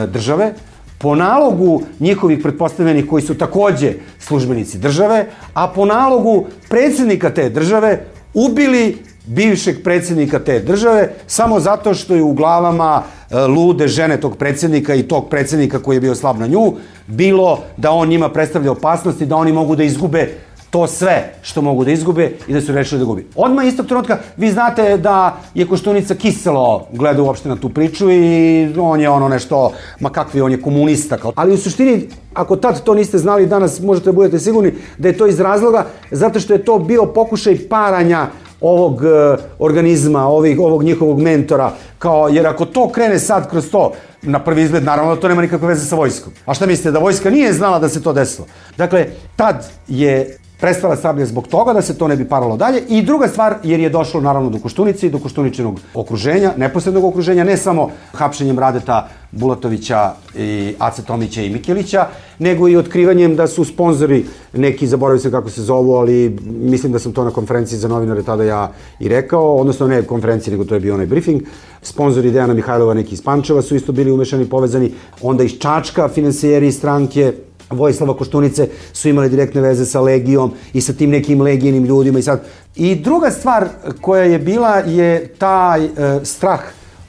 države, po nalogu njihovih pretpostavljenih koji su takođe službenici države, a po nalogu predsjednika te države ubili bivšeg predsjednika te države samo zato što je u glavama e, lude žene tog predsjednika i tog predsjednika koji je bio slab na nju bilo da on njima predstavlja opasnost i da oni mogu da izgube to sve što mogu da izgube i da su rešili da gubi. Odmah istog trenutka vi znate da je Koštunica kiselo gleda uopšte na tu priču i on je ono nešto, ma kakvi, on je komunista. Ali u suštini, ako tad to niste znali, danas možete da budete sigurni da je to iz razloga zato što je to bio pokušaj paranja ovog uh, organizma, ovih, ovog njihovog mentora, kao, jer ako to krene sad kroz to, na prvi izgled, naravno da to nema nikakve veze sa vojskom. A šta mislite, da vojska nije znala da se to desilo? Dakle, tad je prestala Sablja zbog toga da se to ne bi paralo dalje i druga stvar, jer je došlo naravno do Koštunice i do Koštuničinog okruženja, neposrednog okruženja, ne samo hapšenjem Radeta Bulatovića i Ace Tomića i Mikelića, nego i otkrivanjem da su sponzori neki, zaboravio se kako se zovu, ali mislim da sam to na konferenciji za novinare tada ja i rekao, odnosno ne konferenciji, nego to je bio onaj briefing. Sponzori Dejana Mihajlova, neki iz Pančeva su isto bili umešani, povezani, onda iz Čačka, finansijeri stranke Vojislava Koštunice su imali direktne veze sa Legijom i sa tim nekim legijenim ljudima i sad. I druga stvar koja je bila je taj e, strah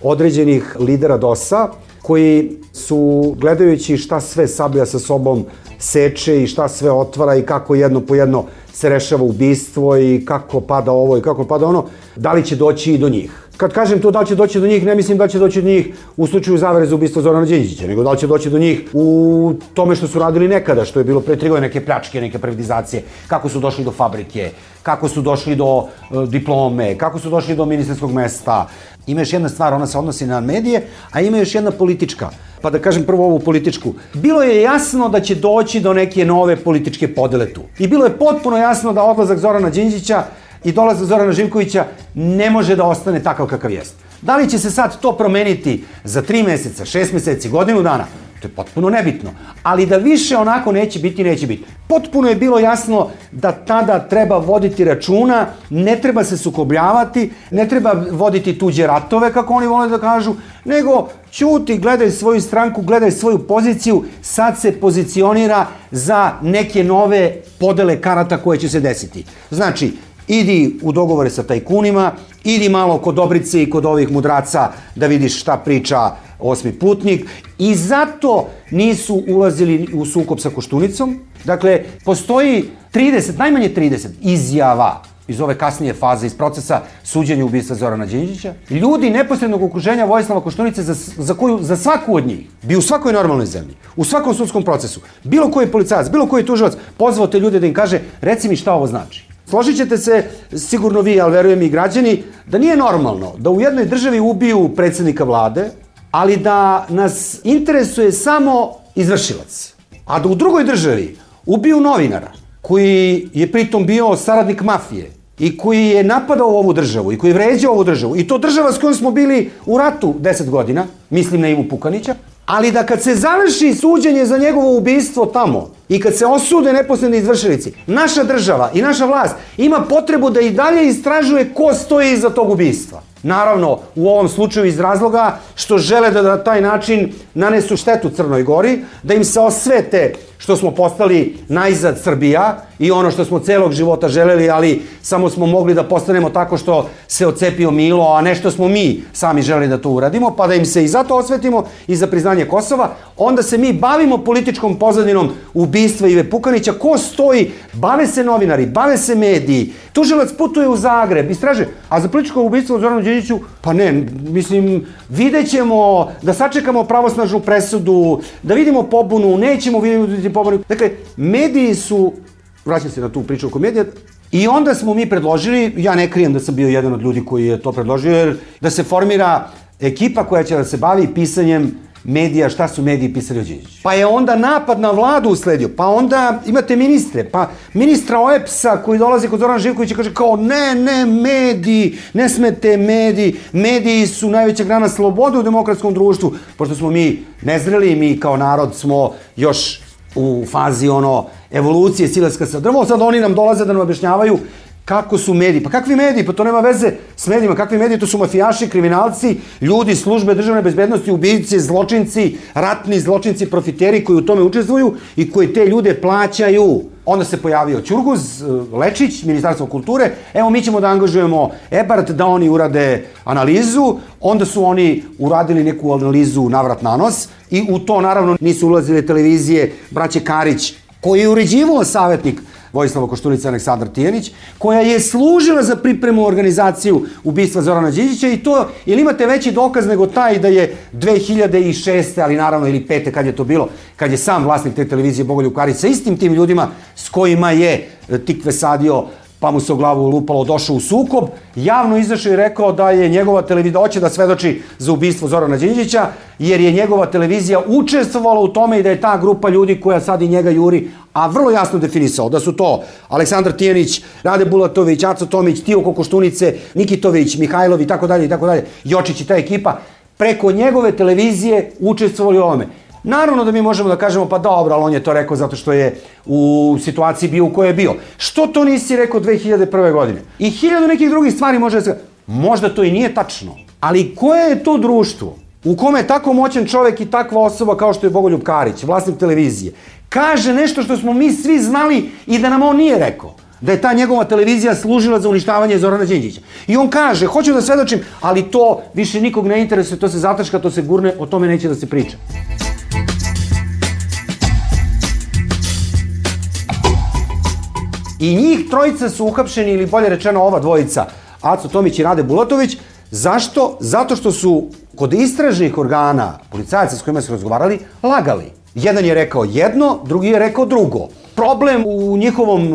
određenih lidera D O S-a koji su, gledajući šta sve Sablja sa sobom seče i šta sve otvara i kako jedno po jedno se rešava ubistvo i kako pada ovo i kako pada ono, da li će doći i do njih. Kad kažem to da li će doći do njih, ne mislim da će doći do njih u slučaju zavere za ubistvo Zorana Đinđića, nego da li će doći do njih u tome što su radili nekada, što je bilo pre tri godine, neke pljačke, neke privatizacije, kako su došli do fabrike, kako su došli do uh, diplome, kako su došli do ministarskog mesta. Ima još jedna stvar, ona se odnosi na medije, a ima još jedna politička. Pa da kažem prvo ovu političku. Bilo je jasno da će doći do neke nove političke podele tu. I bilo je potpuno jasno da odlazak Zorana Đinđića i dolazak Zorana Živkovića ne može da ostane takav kakav jeste. Da li će se sad to promeniti za tri meseca, šest meseci, godinu dana? To je potpuno nebitno. Ali da više onako neće biti, neće biti. Potpuno je bilo jasno da tada treba voditi računa, ne treba se sukobljavati, ne treba voditi tuđe ratove, kako oni vole da kažu, nego ćuti, gledaj svoju stranku, gledaj svoju poziciju, sad se pozicionira za neke nove podele karata koje će se desiti. Znači, idi u dogovore sa tajkunima, idi malo kod Dobrice i kod ovih mudraca da vidiš šta priča Osmi putnik i zato nisu ulazili u sukob sa Koštunicom. Dakle, postoji trideset, najmanje trideset izjava iz ove kasnije faze, iz procesa suđenja ubistva Zorana Đinđića. Ljudi neposrednog okruženja Vojislava Koštunice za, za, koju, za svaku od njih bi u svakoj normalnoj zemlji, u svakom sudskom procesu, bilo koji policajac, bilo koji tužilac pozvao te ljude da im kaže reci mi šta ovo znači. Složit ćete se, sigurno vi, ali verujem i građani, da nije normalno da u jednoj državi ubiju predsjednika vlade, ali da nas interesuje samo izvršilac. A da u drugoj državi ubiju novinara, koji je pritom bio saradnik mafije i koji je napadao ovu državu i koji je vređao ovu državu. I to država s kojom smo bili u ratu deset godina, mislim na Ivu Pukanića, ali da kad se završi suđenje za njegovo ubistvo tamo i kad se osude neposredni izvršilici, naša država i naša vlast ima potrebu da i dalje istražuje ko stoji iza tog ubistva. Naravno, u ovom slučaju iz razloga što žele da na taj način nanesu štetu Crnoj Gori, da im se osvete što smo postali najzad Srbija i ono što smo celog života želeli, ali samo smo mogli da postanemo tako što se ocepio Milo, a ne što smo mi sami želeli da to uradimo, pa da im se i zato osvetimo i za priznanje Kosova. Onda se mi bavimo političkom pozadinom ubistva Ive Pukanića. Ko stoji? Bave se novinari, bave se mediji. Tužilac putuje u Zagreb, istraže. A za političko ubistvo Zoranu Đinđiću, pa ne, mislim, vidjet ćemo, da sačekamo pravosnažnu presudu, da vidimo pobunu, nećemo vidjeti pobunu. Dakle, mediji su, vraćam se na tu priču oko medija, i onda smo mi predložili, ja ne krijem da sam bio jedan od ljudi koji je to predložio, jer da se formira ekipa koja će da se bavi pisanjem medija, šta su mediji pisali o Đinđiću. Pa je onda napad na vladu usledio, pa onda imate ministre, pa ministra O E P S-a koji dolazi kod Zorana Živkovića i kaže kao ne, ne, mediji, ne smete mediji, mediji su najveća grana slobode u demokratskom društvu, pošto smo mi nezreli, mi kao narod smo još u fazi ono evolucije silaska sa drvom, sad oni nam dolaze da nam objašnjavaju kako su mediji. Pa kakvi mediji? Pa to nema veze s medijima. Kakvi mediji? To su mafijaši, kriminalci, ljudi, službe državne bezbednosti, ubijice, zločinci, ratni zločinci, profiteri koji u tome učestvuju i koji te ljude plaćaju. Onda se pojavio Ćurguz, Lečić, Ministarstvo kulture. Evo, mi ćemo da angažujemo Ebart da oni urade analizu. Onda su oni uradili neku analizu navrat na nos i u to naravno nisu ulazile televizije braće Karić, koji je uređivao savjetnik Vojislava Koštunice Aleksandar Tijanić, koja je služila za pripremu organizaciju ubistva Zorana Đinđića i to, ili imate veći dokaz nego taj da je dve hiljade šeste. ali naravno ili pete kad je to bilo, kad je sam vlasnik te televizije Bogoljub Karić sa istim tim ljudima s kojima je Tikve sadio pa mu se u glavu lupalo, došao u sukob, javno izašao i rekao da je njegova televizija, hoće da svedoči za ubistvo Zorana Đinđića, jer je njegova televizija učestvovala u tome i da je ta grupa ljudi koja sad i njega juri, a vrlo jasno definisao da su to Aleksandar Tijanić, Rade Bulatović, Aco Tomić, Tijoko Koštunice, Nikitović, Mihajlov i tako dalje i tako dalje, Jočić i ta ekipa, preko njegove televizije učestvovali u ovome. Naravno da mi možemo da kažemo, pa dobro, ali on je to rekao zato što je u situaciji bio u kojoj je bio. Što to nisi rekao dve hiljade prve. godine? I hiljadu nekih drugih stvari može da se... Možda to i nije tačno, ali koje je to društvo u kome je tako moćan čovek i takva osoba kao što je Bogoljub Karić, vlasnik televizije, kaže nešto što smo mi svi znali i da nam on nije rekao? Da je ta njegova televizija služila za uništavanje Zorana Đinđića. I on kaže, hoću da svedočim, ali to više nikog ne interesuje, to se zataška, to se gurne, o tome neće da se priča. I njih trojica su uhapšeni, ili bolje rečeno ova dvojica, Aco Tomić i Rade Bulatović. Zašto? Zato što su kod istražnih organa, policajaca s kojima su razgovarali, lagali. Jedan je rekao jedno, drugi je rekao drugo. problem u njihovom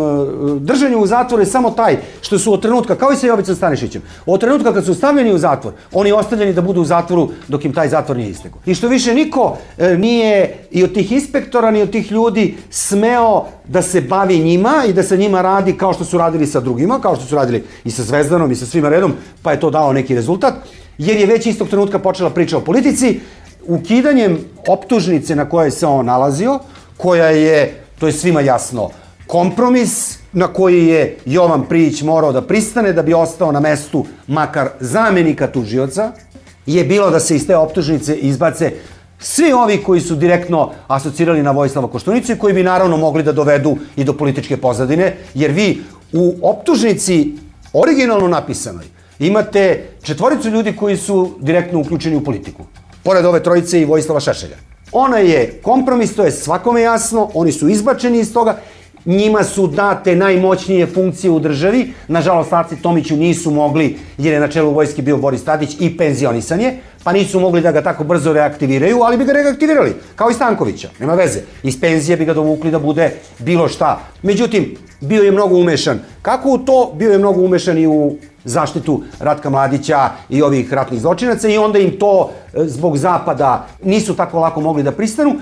držanju u zatvoru je samo taj što su od trenutka, kao i sa Jovicom Stanišićem, od trenutka kad su stavljeni u zatvor, oni ostavljeni da budu u zatvoru dok im taj zatvor nije istekao. I što više niko nije i od tih inspektora, ni od tih ljudi smeo da se bavi njima i da sa njima radi kao što su radili sa drugima, kao što su radili i sa Zvezdanom i sa svima redom, pa je to dao neki rezultat, jer je već istog trenutka počela priča o politici, ukidanjem optužnice na kojoj se on nalazio, koja je, to je svima jasno, kompromis na koji je Jovan Prijić morao da pristane da bi ostao na mestu makar zamenika tužioca, je bilo da se iz te optužnice izbace svi ovi koji su direktno asocirali na Vojislava Koštunicu i koji bi naravno mogli da dovedu i do političke pozadine, jer vi u optužnici originalno napisanoj imate četvoricu ljudi koji su direktno uključeni u politiku. Pored ove trojice i Vojislava Šešelja. Ona je kompromis, to je svakome jasno, oni su izbačeni iz toga, njima su date najmoćnije funkcije u državi, nažalost Aci Tomiću nisu mogli, jer je na čelu vojske bio Boris Tadić i penzionisan je, pa nisu mogli da ga tako brzo reaktiviraju, ali bi ga reaktivirali, kao i Stankovića, nema veze. Iz penzije bi ga dovukli da bude bilo šta. Međutim, bio je mnogo umešan. Kako u to? Bio je mnogo umešan i u zaštitu Ratka Mladića i ovih ratnih zločinaca i onda im to zbog zapada nisu tako lako mogli da pristanu,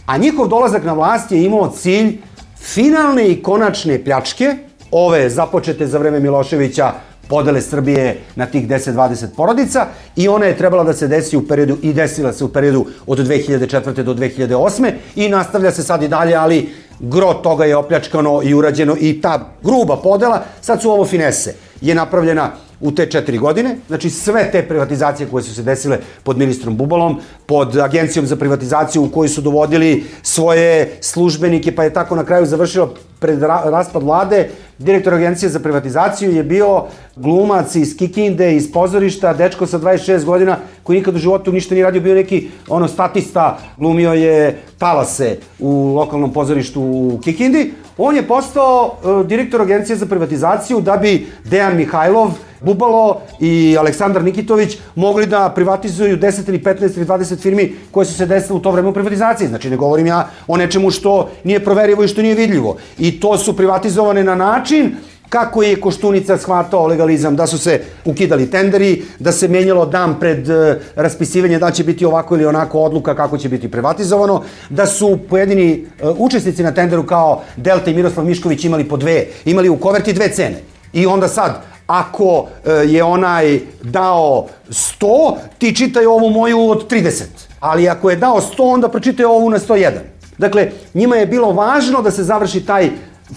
a njihov dolazak na vlast je imao cilj finalne i konačne pljačke, ove započete za vreme Miloševića, podele Srbije na tih deset dvadeset porodica, i ona je trebala da se desi u periodu, i desila se u periodu od dve hiljade četvrte do dve hiljade osme i nastavlja se sad i dalje, ali gro toga je opljačkano i urađeno i ta gruba podela, sad su ovo finese, je napravljena u te četiri godine, znači sve te privatizacije koje su se desile pod ministrom Bubalom, pod agencijom za privatizaciju u kojoj su dovodili svoje službenike, pa je tako na kraju završilo pred raspad vlade. Direktor agencije za privatizaciju je bio glumac iz Kikinde, iz pozorišta, dečko sa dvadeset šest godina koji nikad u životu ništa nije radio, bio neki ono statista, glumio je talase u lokalnom pozorištu u Kikindi. On je postao uh, direktor agencije za privatizaciju da bi Dejan Mihajlov, Bubalo i Aleksandar Nikitović mogli da privatizuju deset ili petnaest ili dvadeset firmi koje su se desile u to vreme u privatizaciji. Znači, ne govorim ja o nečemu što nije proverivo i što nije vidljivo. I to su privatizovane na način kako je Koštunica shvatao legalizam, da su se ukidali tenderi, da se menjalo dan pred uh, raspisivanje da će biti ovako ili onako odluka kako će biti privatizovano, da su pojedini uh, učesnici na tenderu kao Delta i Miroslav Mišković imali po dve, imali u koverti dve cene. I onda sad, ako uh, je onaj dao sto, ti čitaj ovu moju od trideset. Ali ako je dao sto, onda pročitaj ovu na sto jedan. Dakle, njima je bilo važno da se završi taj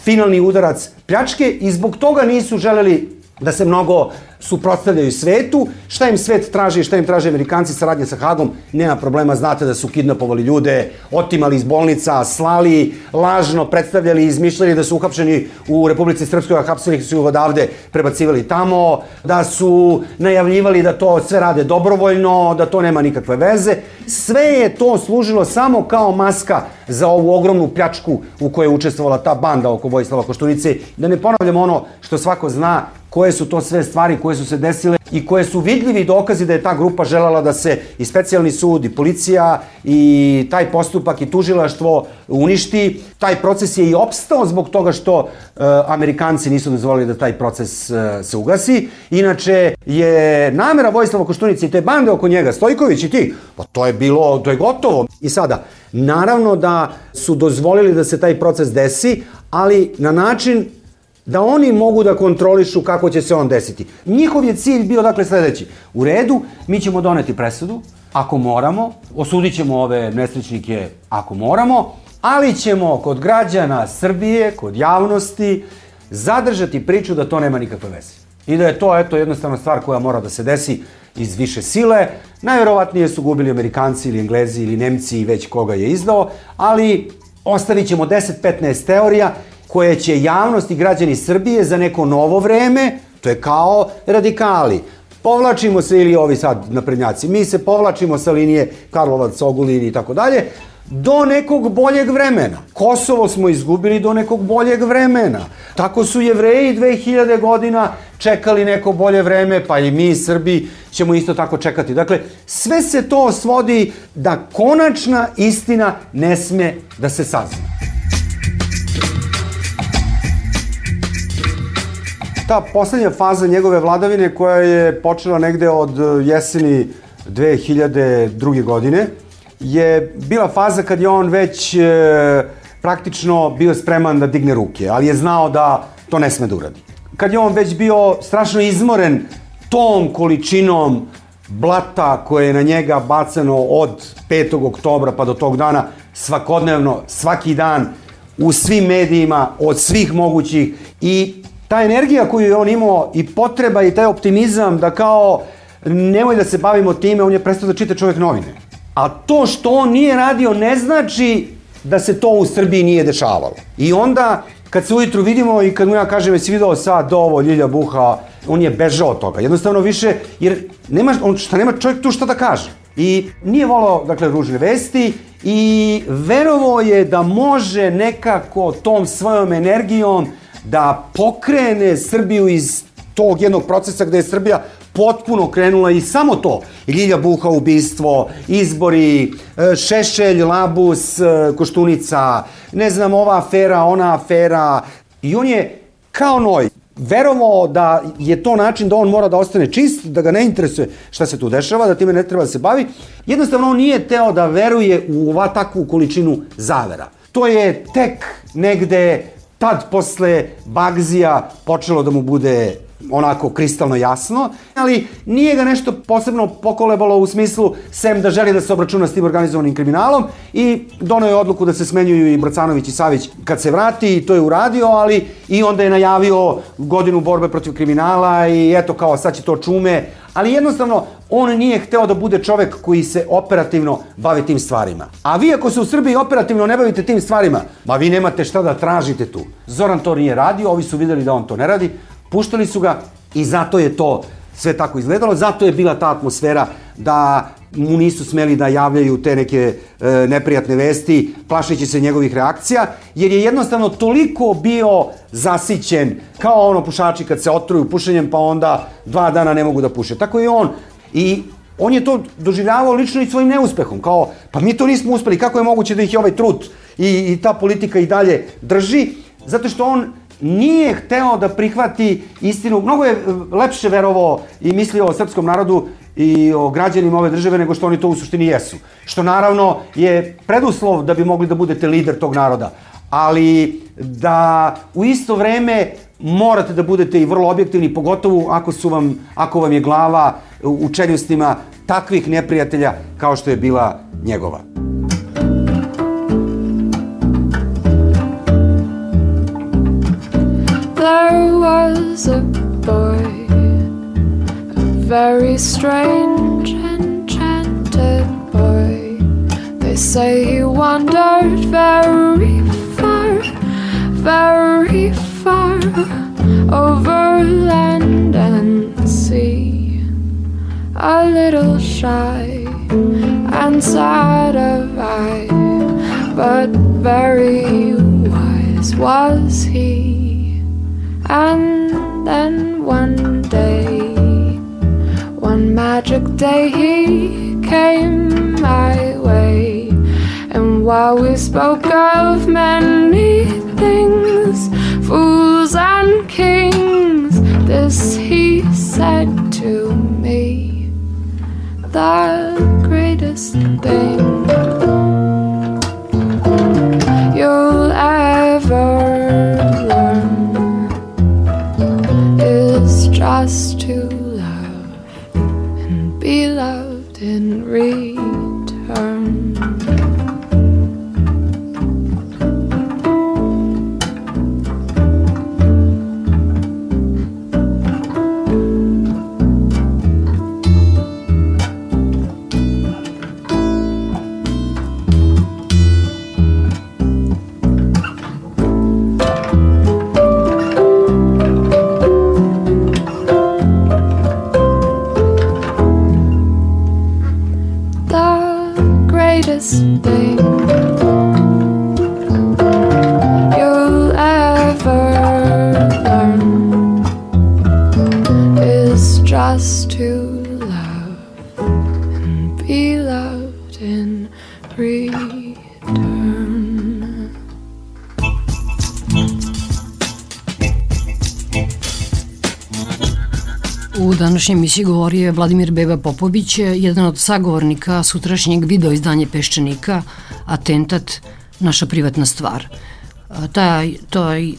finalni udarac pljačke i zbog toga nisu želeli da se mnogo suprotstavljaju svetu. Šta im svet traži, šta im traže Amerikanci, saradnje sa Hagom, nema problema, znate da su kidnapovali ljude, otimali iz bolnica, slali, lažno predstavljali, izmišljali da su uhapšeni u Republici Srpskoj, a hapsili su ih odavde, prebacivali tamo, da su najavljivali da to sve rade dobrovoljno, da to nema nikakve veze. Sve je to služilo samo kao maska za ovu ogromnu pljačku u kojoj je učestvovala ta banda oko Vojislava Koštunice. Da ne ponavljam ono što svako zna, koje su to sve stvari koje su se desile i koje su vidljivi dokazi da je ta grupa želela da se i specijalni sud i policija i taj postupak i tužilaštvo uništi. Taj proces je i opstao zbog toga što e, Amerikanci nisu dozvolili da taj proces e, se ugasi. Inače je namera Vojislava Koštunice i te bande oko njega, Stojković i ti, pa to je bilo, to je gotovo. I sada, naravno da su dozvolili da se taj proces desi, ali na način da oni mogu da kontrolišu kako će se on desiti. Njihov je cilj bio dakle sledeći. U redu, mi ćemo doneti presudu, ako moramo, osudit ćemo ove nesrećnike ako moramo, ali ćemo kod građana Srbije, kod javnosti, zadržati priču da to nema nikakve veze. I da je to, eto, jednostavna stvar koja mora da se desi iz više sile. Najverovatnije su gubili Amerikanci ili Englezi ili Nemci i već koga je izdao, ali ostavit ćemo deset petnaest teorija koje će javnost i građani Srbije za neko novo vreme, to je kao radikali. Povlačimo se, ili ovi sad naprednjaci, mi se povlačimo sa linije Karlovac, Ogulin i tako dalje, do nekog boljeg vremena. Kosovo smo izgubili do nekog boljeg vremena. Tako su Jevreji dve hiljade godina čekali neko bolje vreme, pa i mi Srbi ćemo isto tako čekati. Dakle, sve se to svodi da konačna istina ne sme da se sazna. ta poslednja faza njegove vladavine koja je počela negde od jeseni dve hiljade druge. godine je bila faza kad je on već e, praktično bio spreman da digne ruke, ali je znao da to ne sme da uradi. Kad je on već bio strašno izmoren tom količinom blata koje je na njega bacano od petog oktobra pa do tog dana, svakodnevno, svaki dan, u svim medijima, od svih mogućih, i ta energija koju je on imao i potreba i taj optimizam da kao nemoj da se bavimo time, on je prestao da čita čovjek novine. A to što on nije radio ne znači da se to u Srbiji nije dešavalo. I onda kad se ujutru vidimo i kad mu ja kažem jesi video sad ovo Ljilja Buha, on je bežao od toga. Jednostavno više, jer nema, on šta nema čovjek tu šta da kaže. I nije volao, dakle, ružne vesti i verovao je da može nekako tom svojom energijom da pokrene Srbiju iz tog jednog procesa gde je Srbija potpuno krenula i samo to. Ljilja Buha, ubistvo, izbori, Šešelj, Labus, Koštunica, ne znam, ova afera, ona afera. I on je kao noj verovao da je to način da on mora da ostane čist, da ga ne interesuje šta se tu dešava, da time ne treba da se bavi. Jednostavno on nije teo da veruje u ova takvu količinu zavera. To je tek negde tad posle Bagzija počelo da mu bude onako kristalno jasno, ali nije ga nešto posebno pokolebalo u smislu sem da želi da se obračuna s tim organizovanim kriminalom i doneo je odluku da se smenjuju i Bracanović i Savić kad se vrati i to je uradio, ali i onda je najavio godinu borbe protiv kriminala i eto kao sad će to čume, ali jednostavno on nije hteo da bude čovek koji se operativno bavi tim stvarima. A vi ako se u Srbiji operativno ne bavite tim stvarima, ma vi nemate šta da tražite tu. Zoran to nije radio, ovi su videli da on to ne radi, puštali su ga i zato je to sve tako izgledalo, zato je bila ta atmosfera da mu nisu smeli da javljaju te neke e, neprijatne vesti, plašeći se njegovih reakcija, jer je jednostavno toliko bio zasićen, kao ono pušači kad se otruju pušenjem pa onda dva dana ne mogu da puše. Tako i on. I on je to doživljavao lično i svojim neuspehom, kao pa mi to nismo uspeli, kako je moguće da ih je ovaj trut i, i ta politika i dalje drži, zato što on nije hteo da prihvati istinu. Mnogo je lepše verovao i mislio o srpskom narodu i o građanima ove države nego što oni to u suštini jesu. Što naravno je preduslov da bi mogli da budete lider tog naroda. Ali da u isto vreme morate da budete i vrlo objektivni, pogotovo ako su vam, ako vam je glava u čeljustima takvih neprijatelja kao što je bila njegova. There was a boy, a very strange, enchanted boy. They say he wandered very far, very far, over land and sea. A little shy and sad of eye, but very wise was he. And then one day, one magic day, he came my way. And while we spoke of many things, fools and kings, this he said to me: the greatest thing you'll ever just to love and be loved in return. U današnjoj emisiji govori je Vladimir Beba Popović, jedan od sagovornika sutrašnjeg video izdanje Peščanika, Atentat, naša privatna stvar. Taj, taj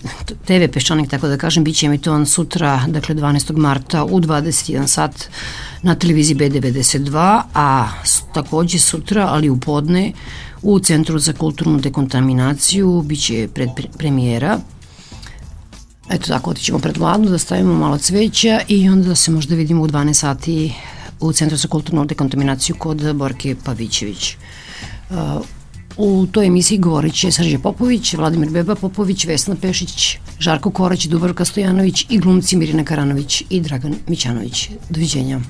te ve Peščanik, tako da kažem, bit će emitovan sutra, dakle dvanaestog marta u dvadeset jedan sat na televiziji B devedeset dva, a takođe sutra, ali u podne, u Centru za kulturnu dekontaminaciju bit će pred premijera. Eto tako, otićemo pred Vladu da stavimo malo cveća i onda se možda vidimo u dvanaest sati u Centru za kulturnu dekontaminaciju kod Borke Pavićević. U toj emisiji govorit će Srđe Popović, Vladimir Beba Popović, Vesna Pešić, Žarko Korać, Dubravka Stojanović i glumci Mirina Karanović i Dragan Mićanović. Doviđenja.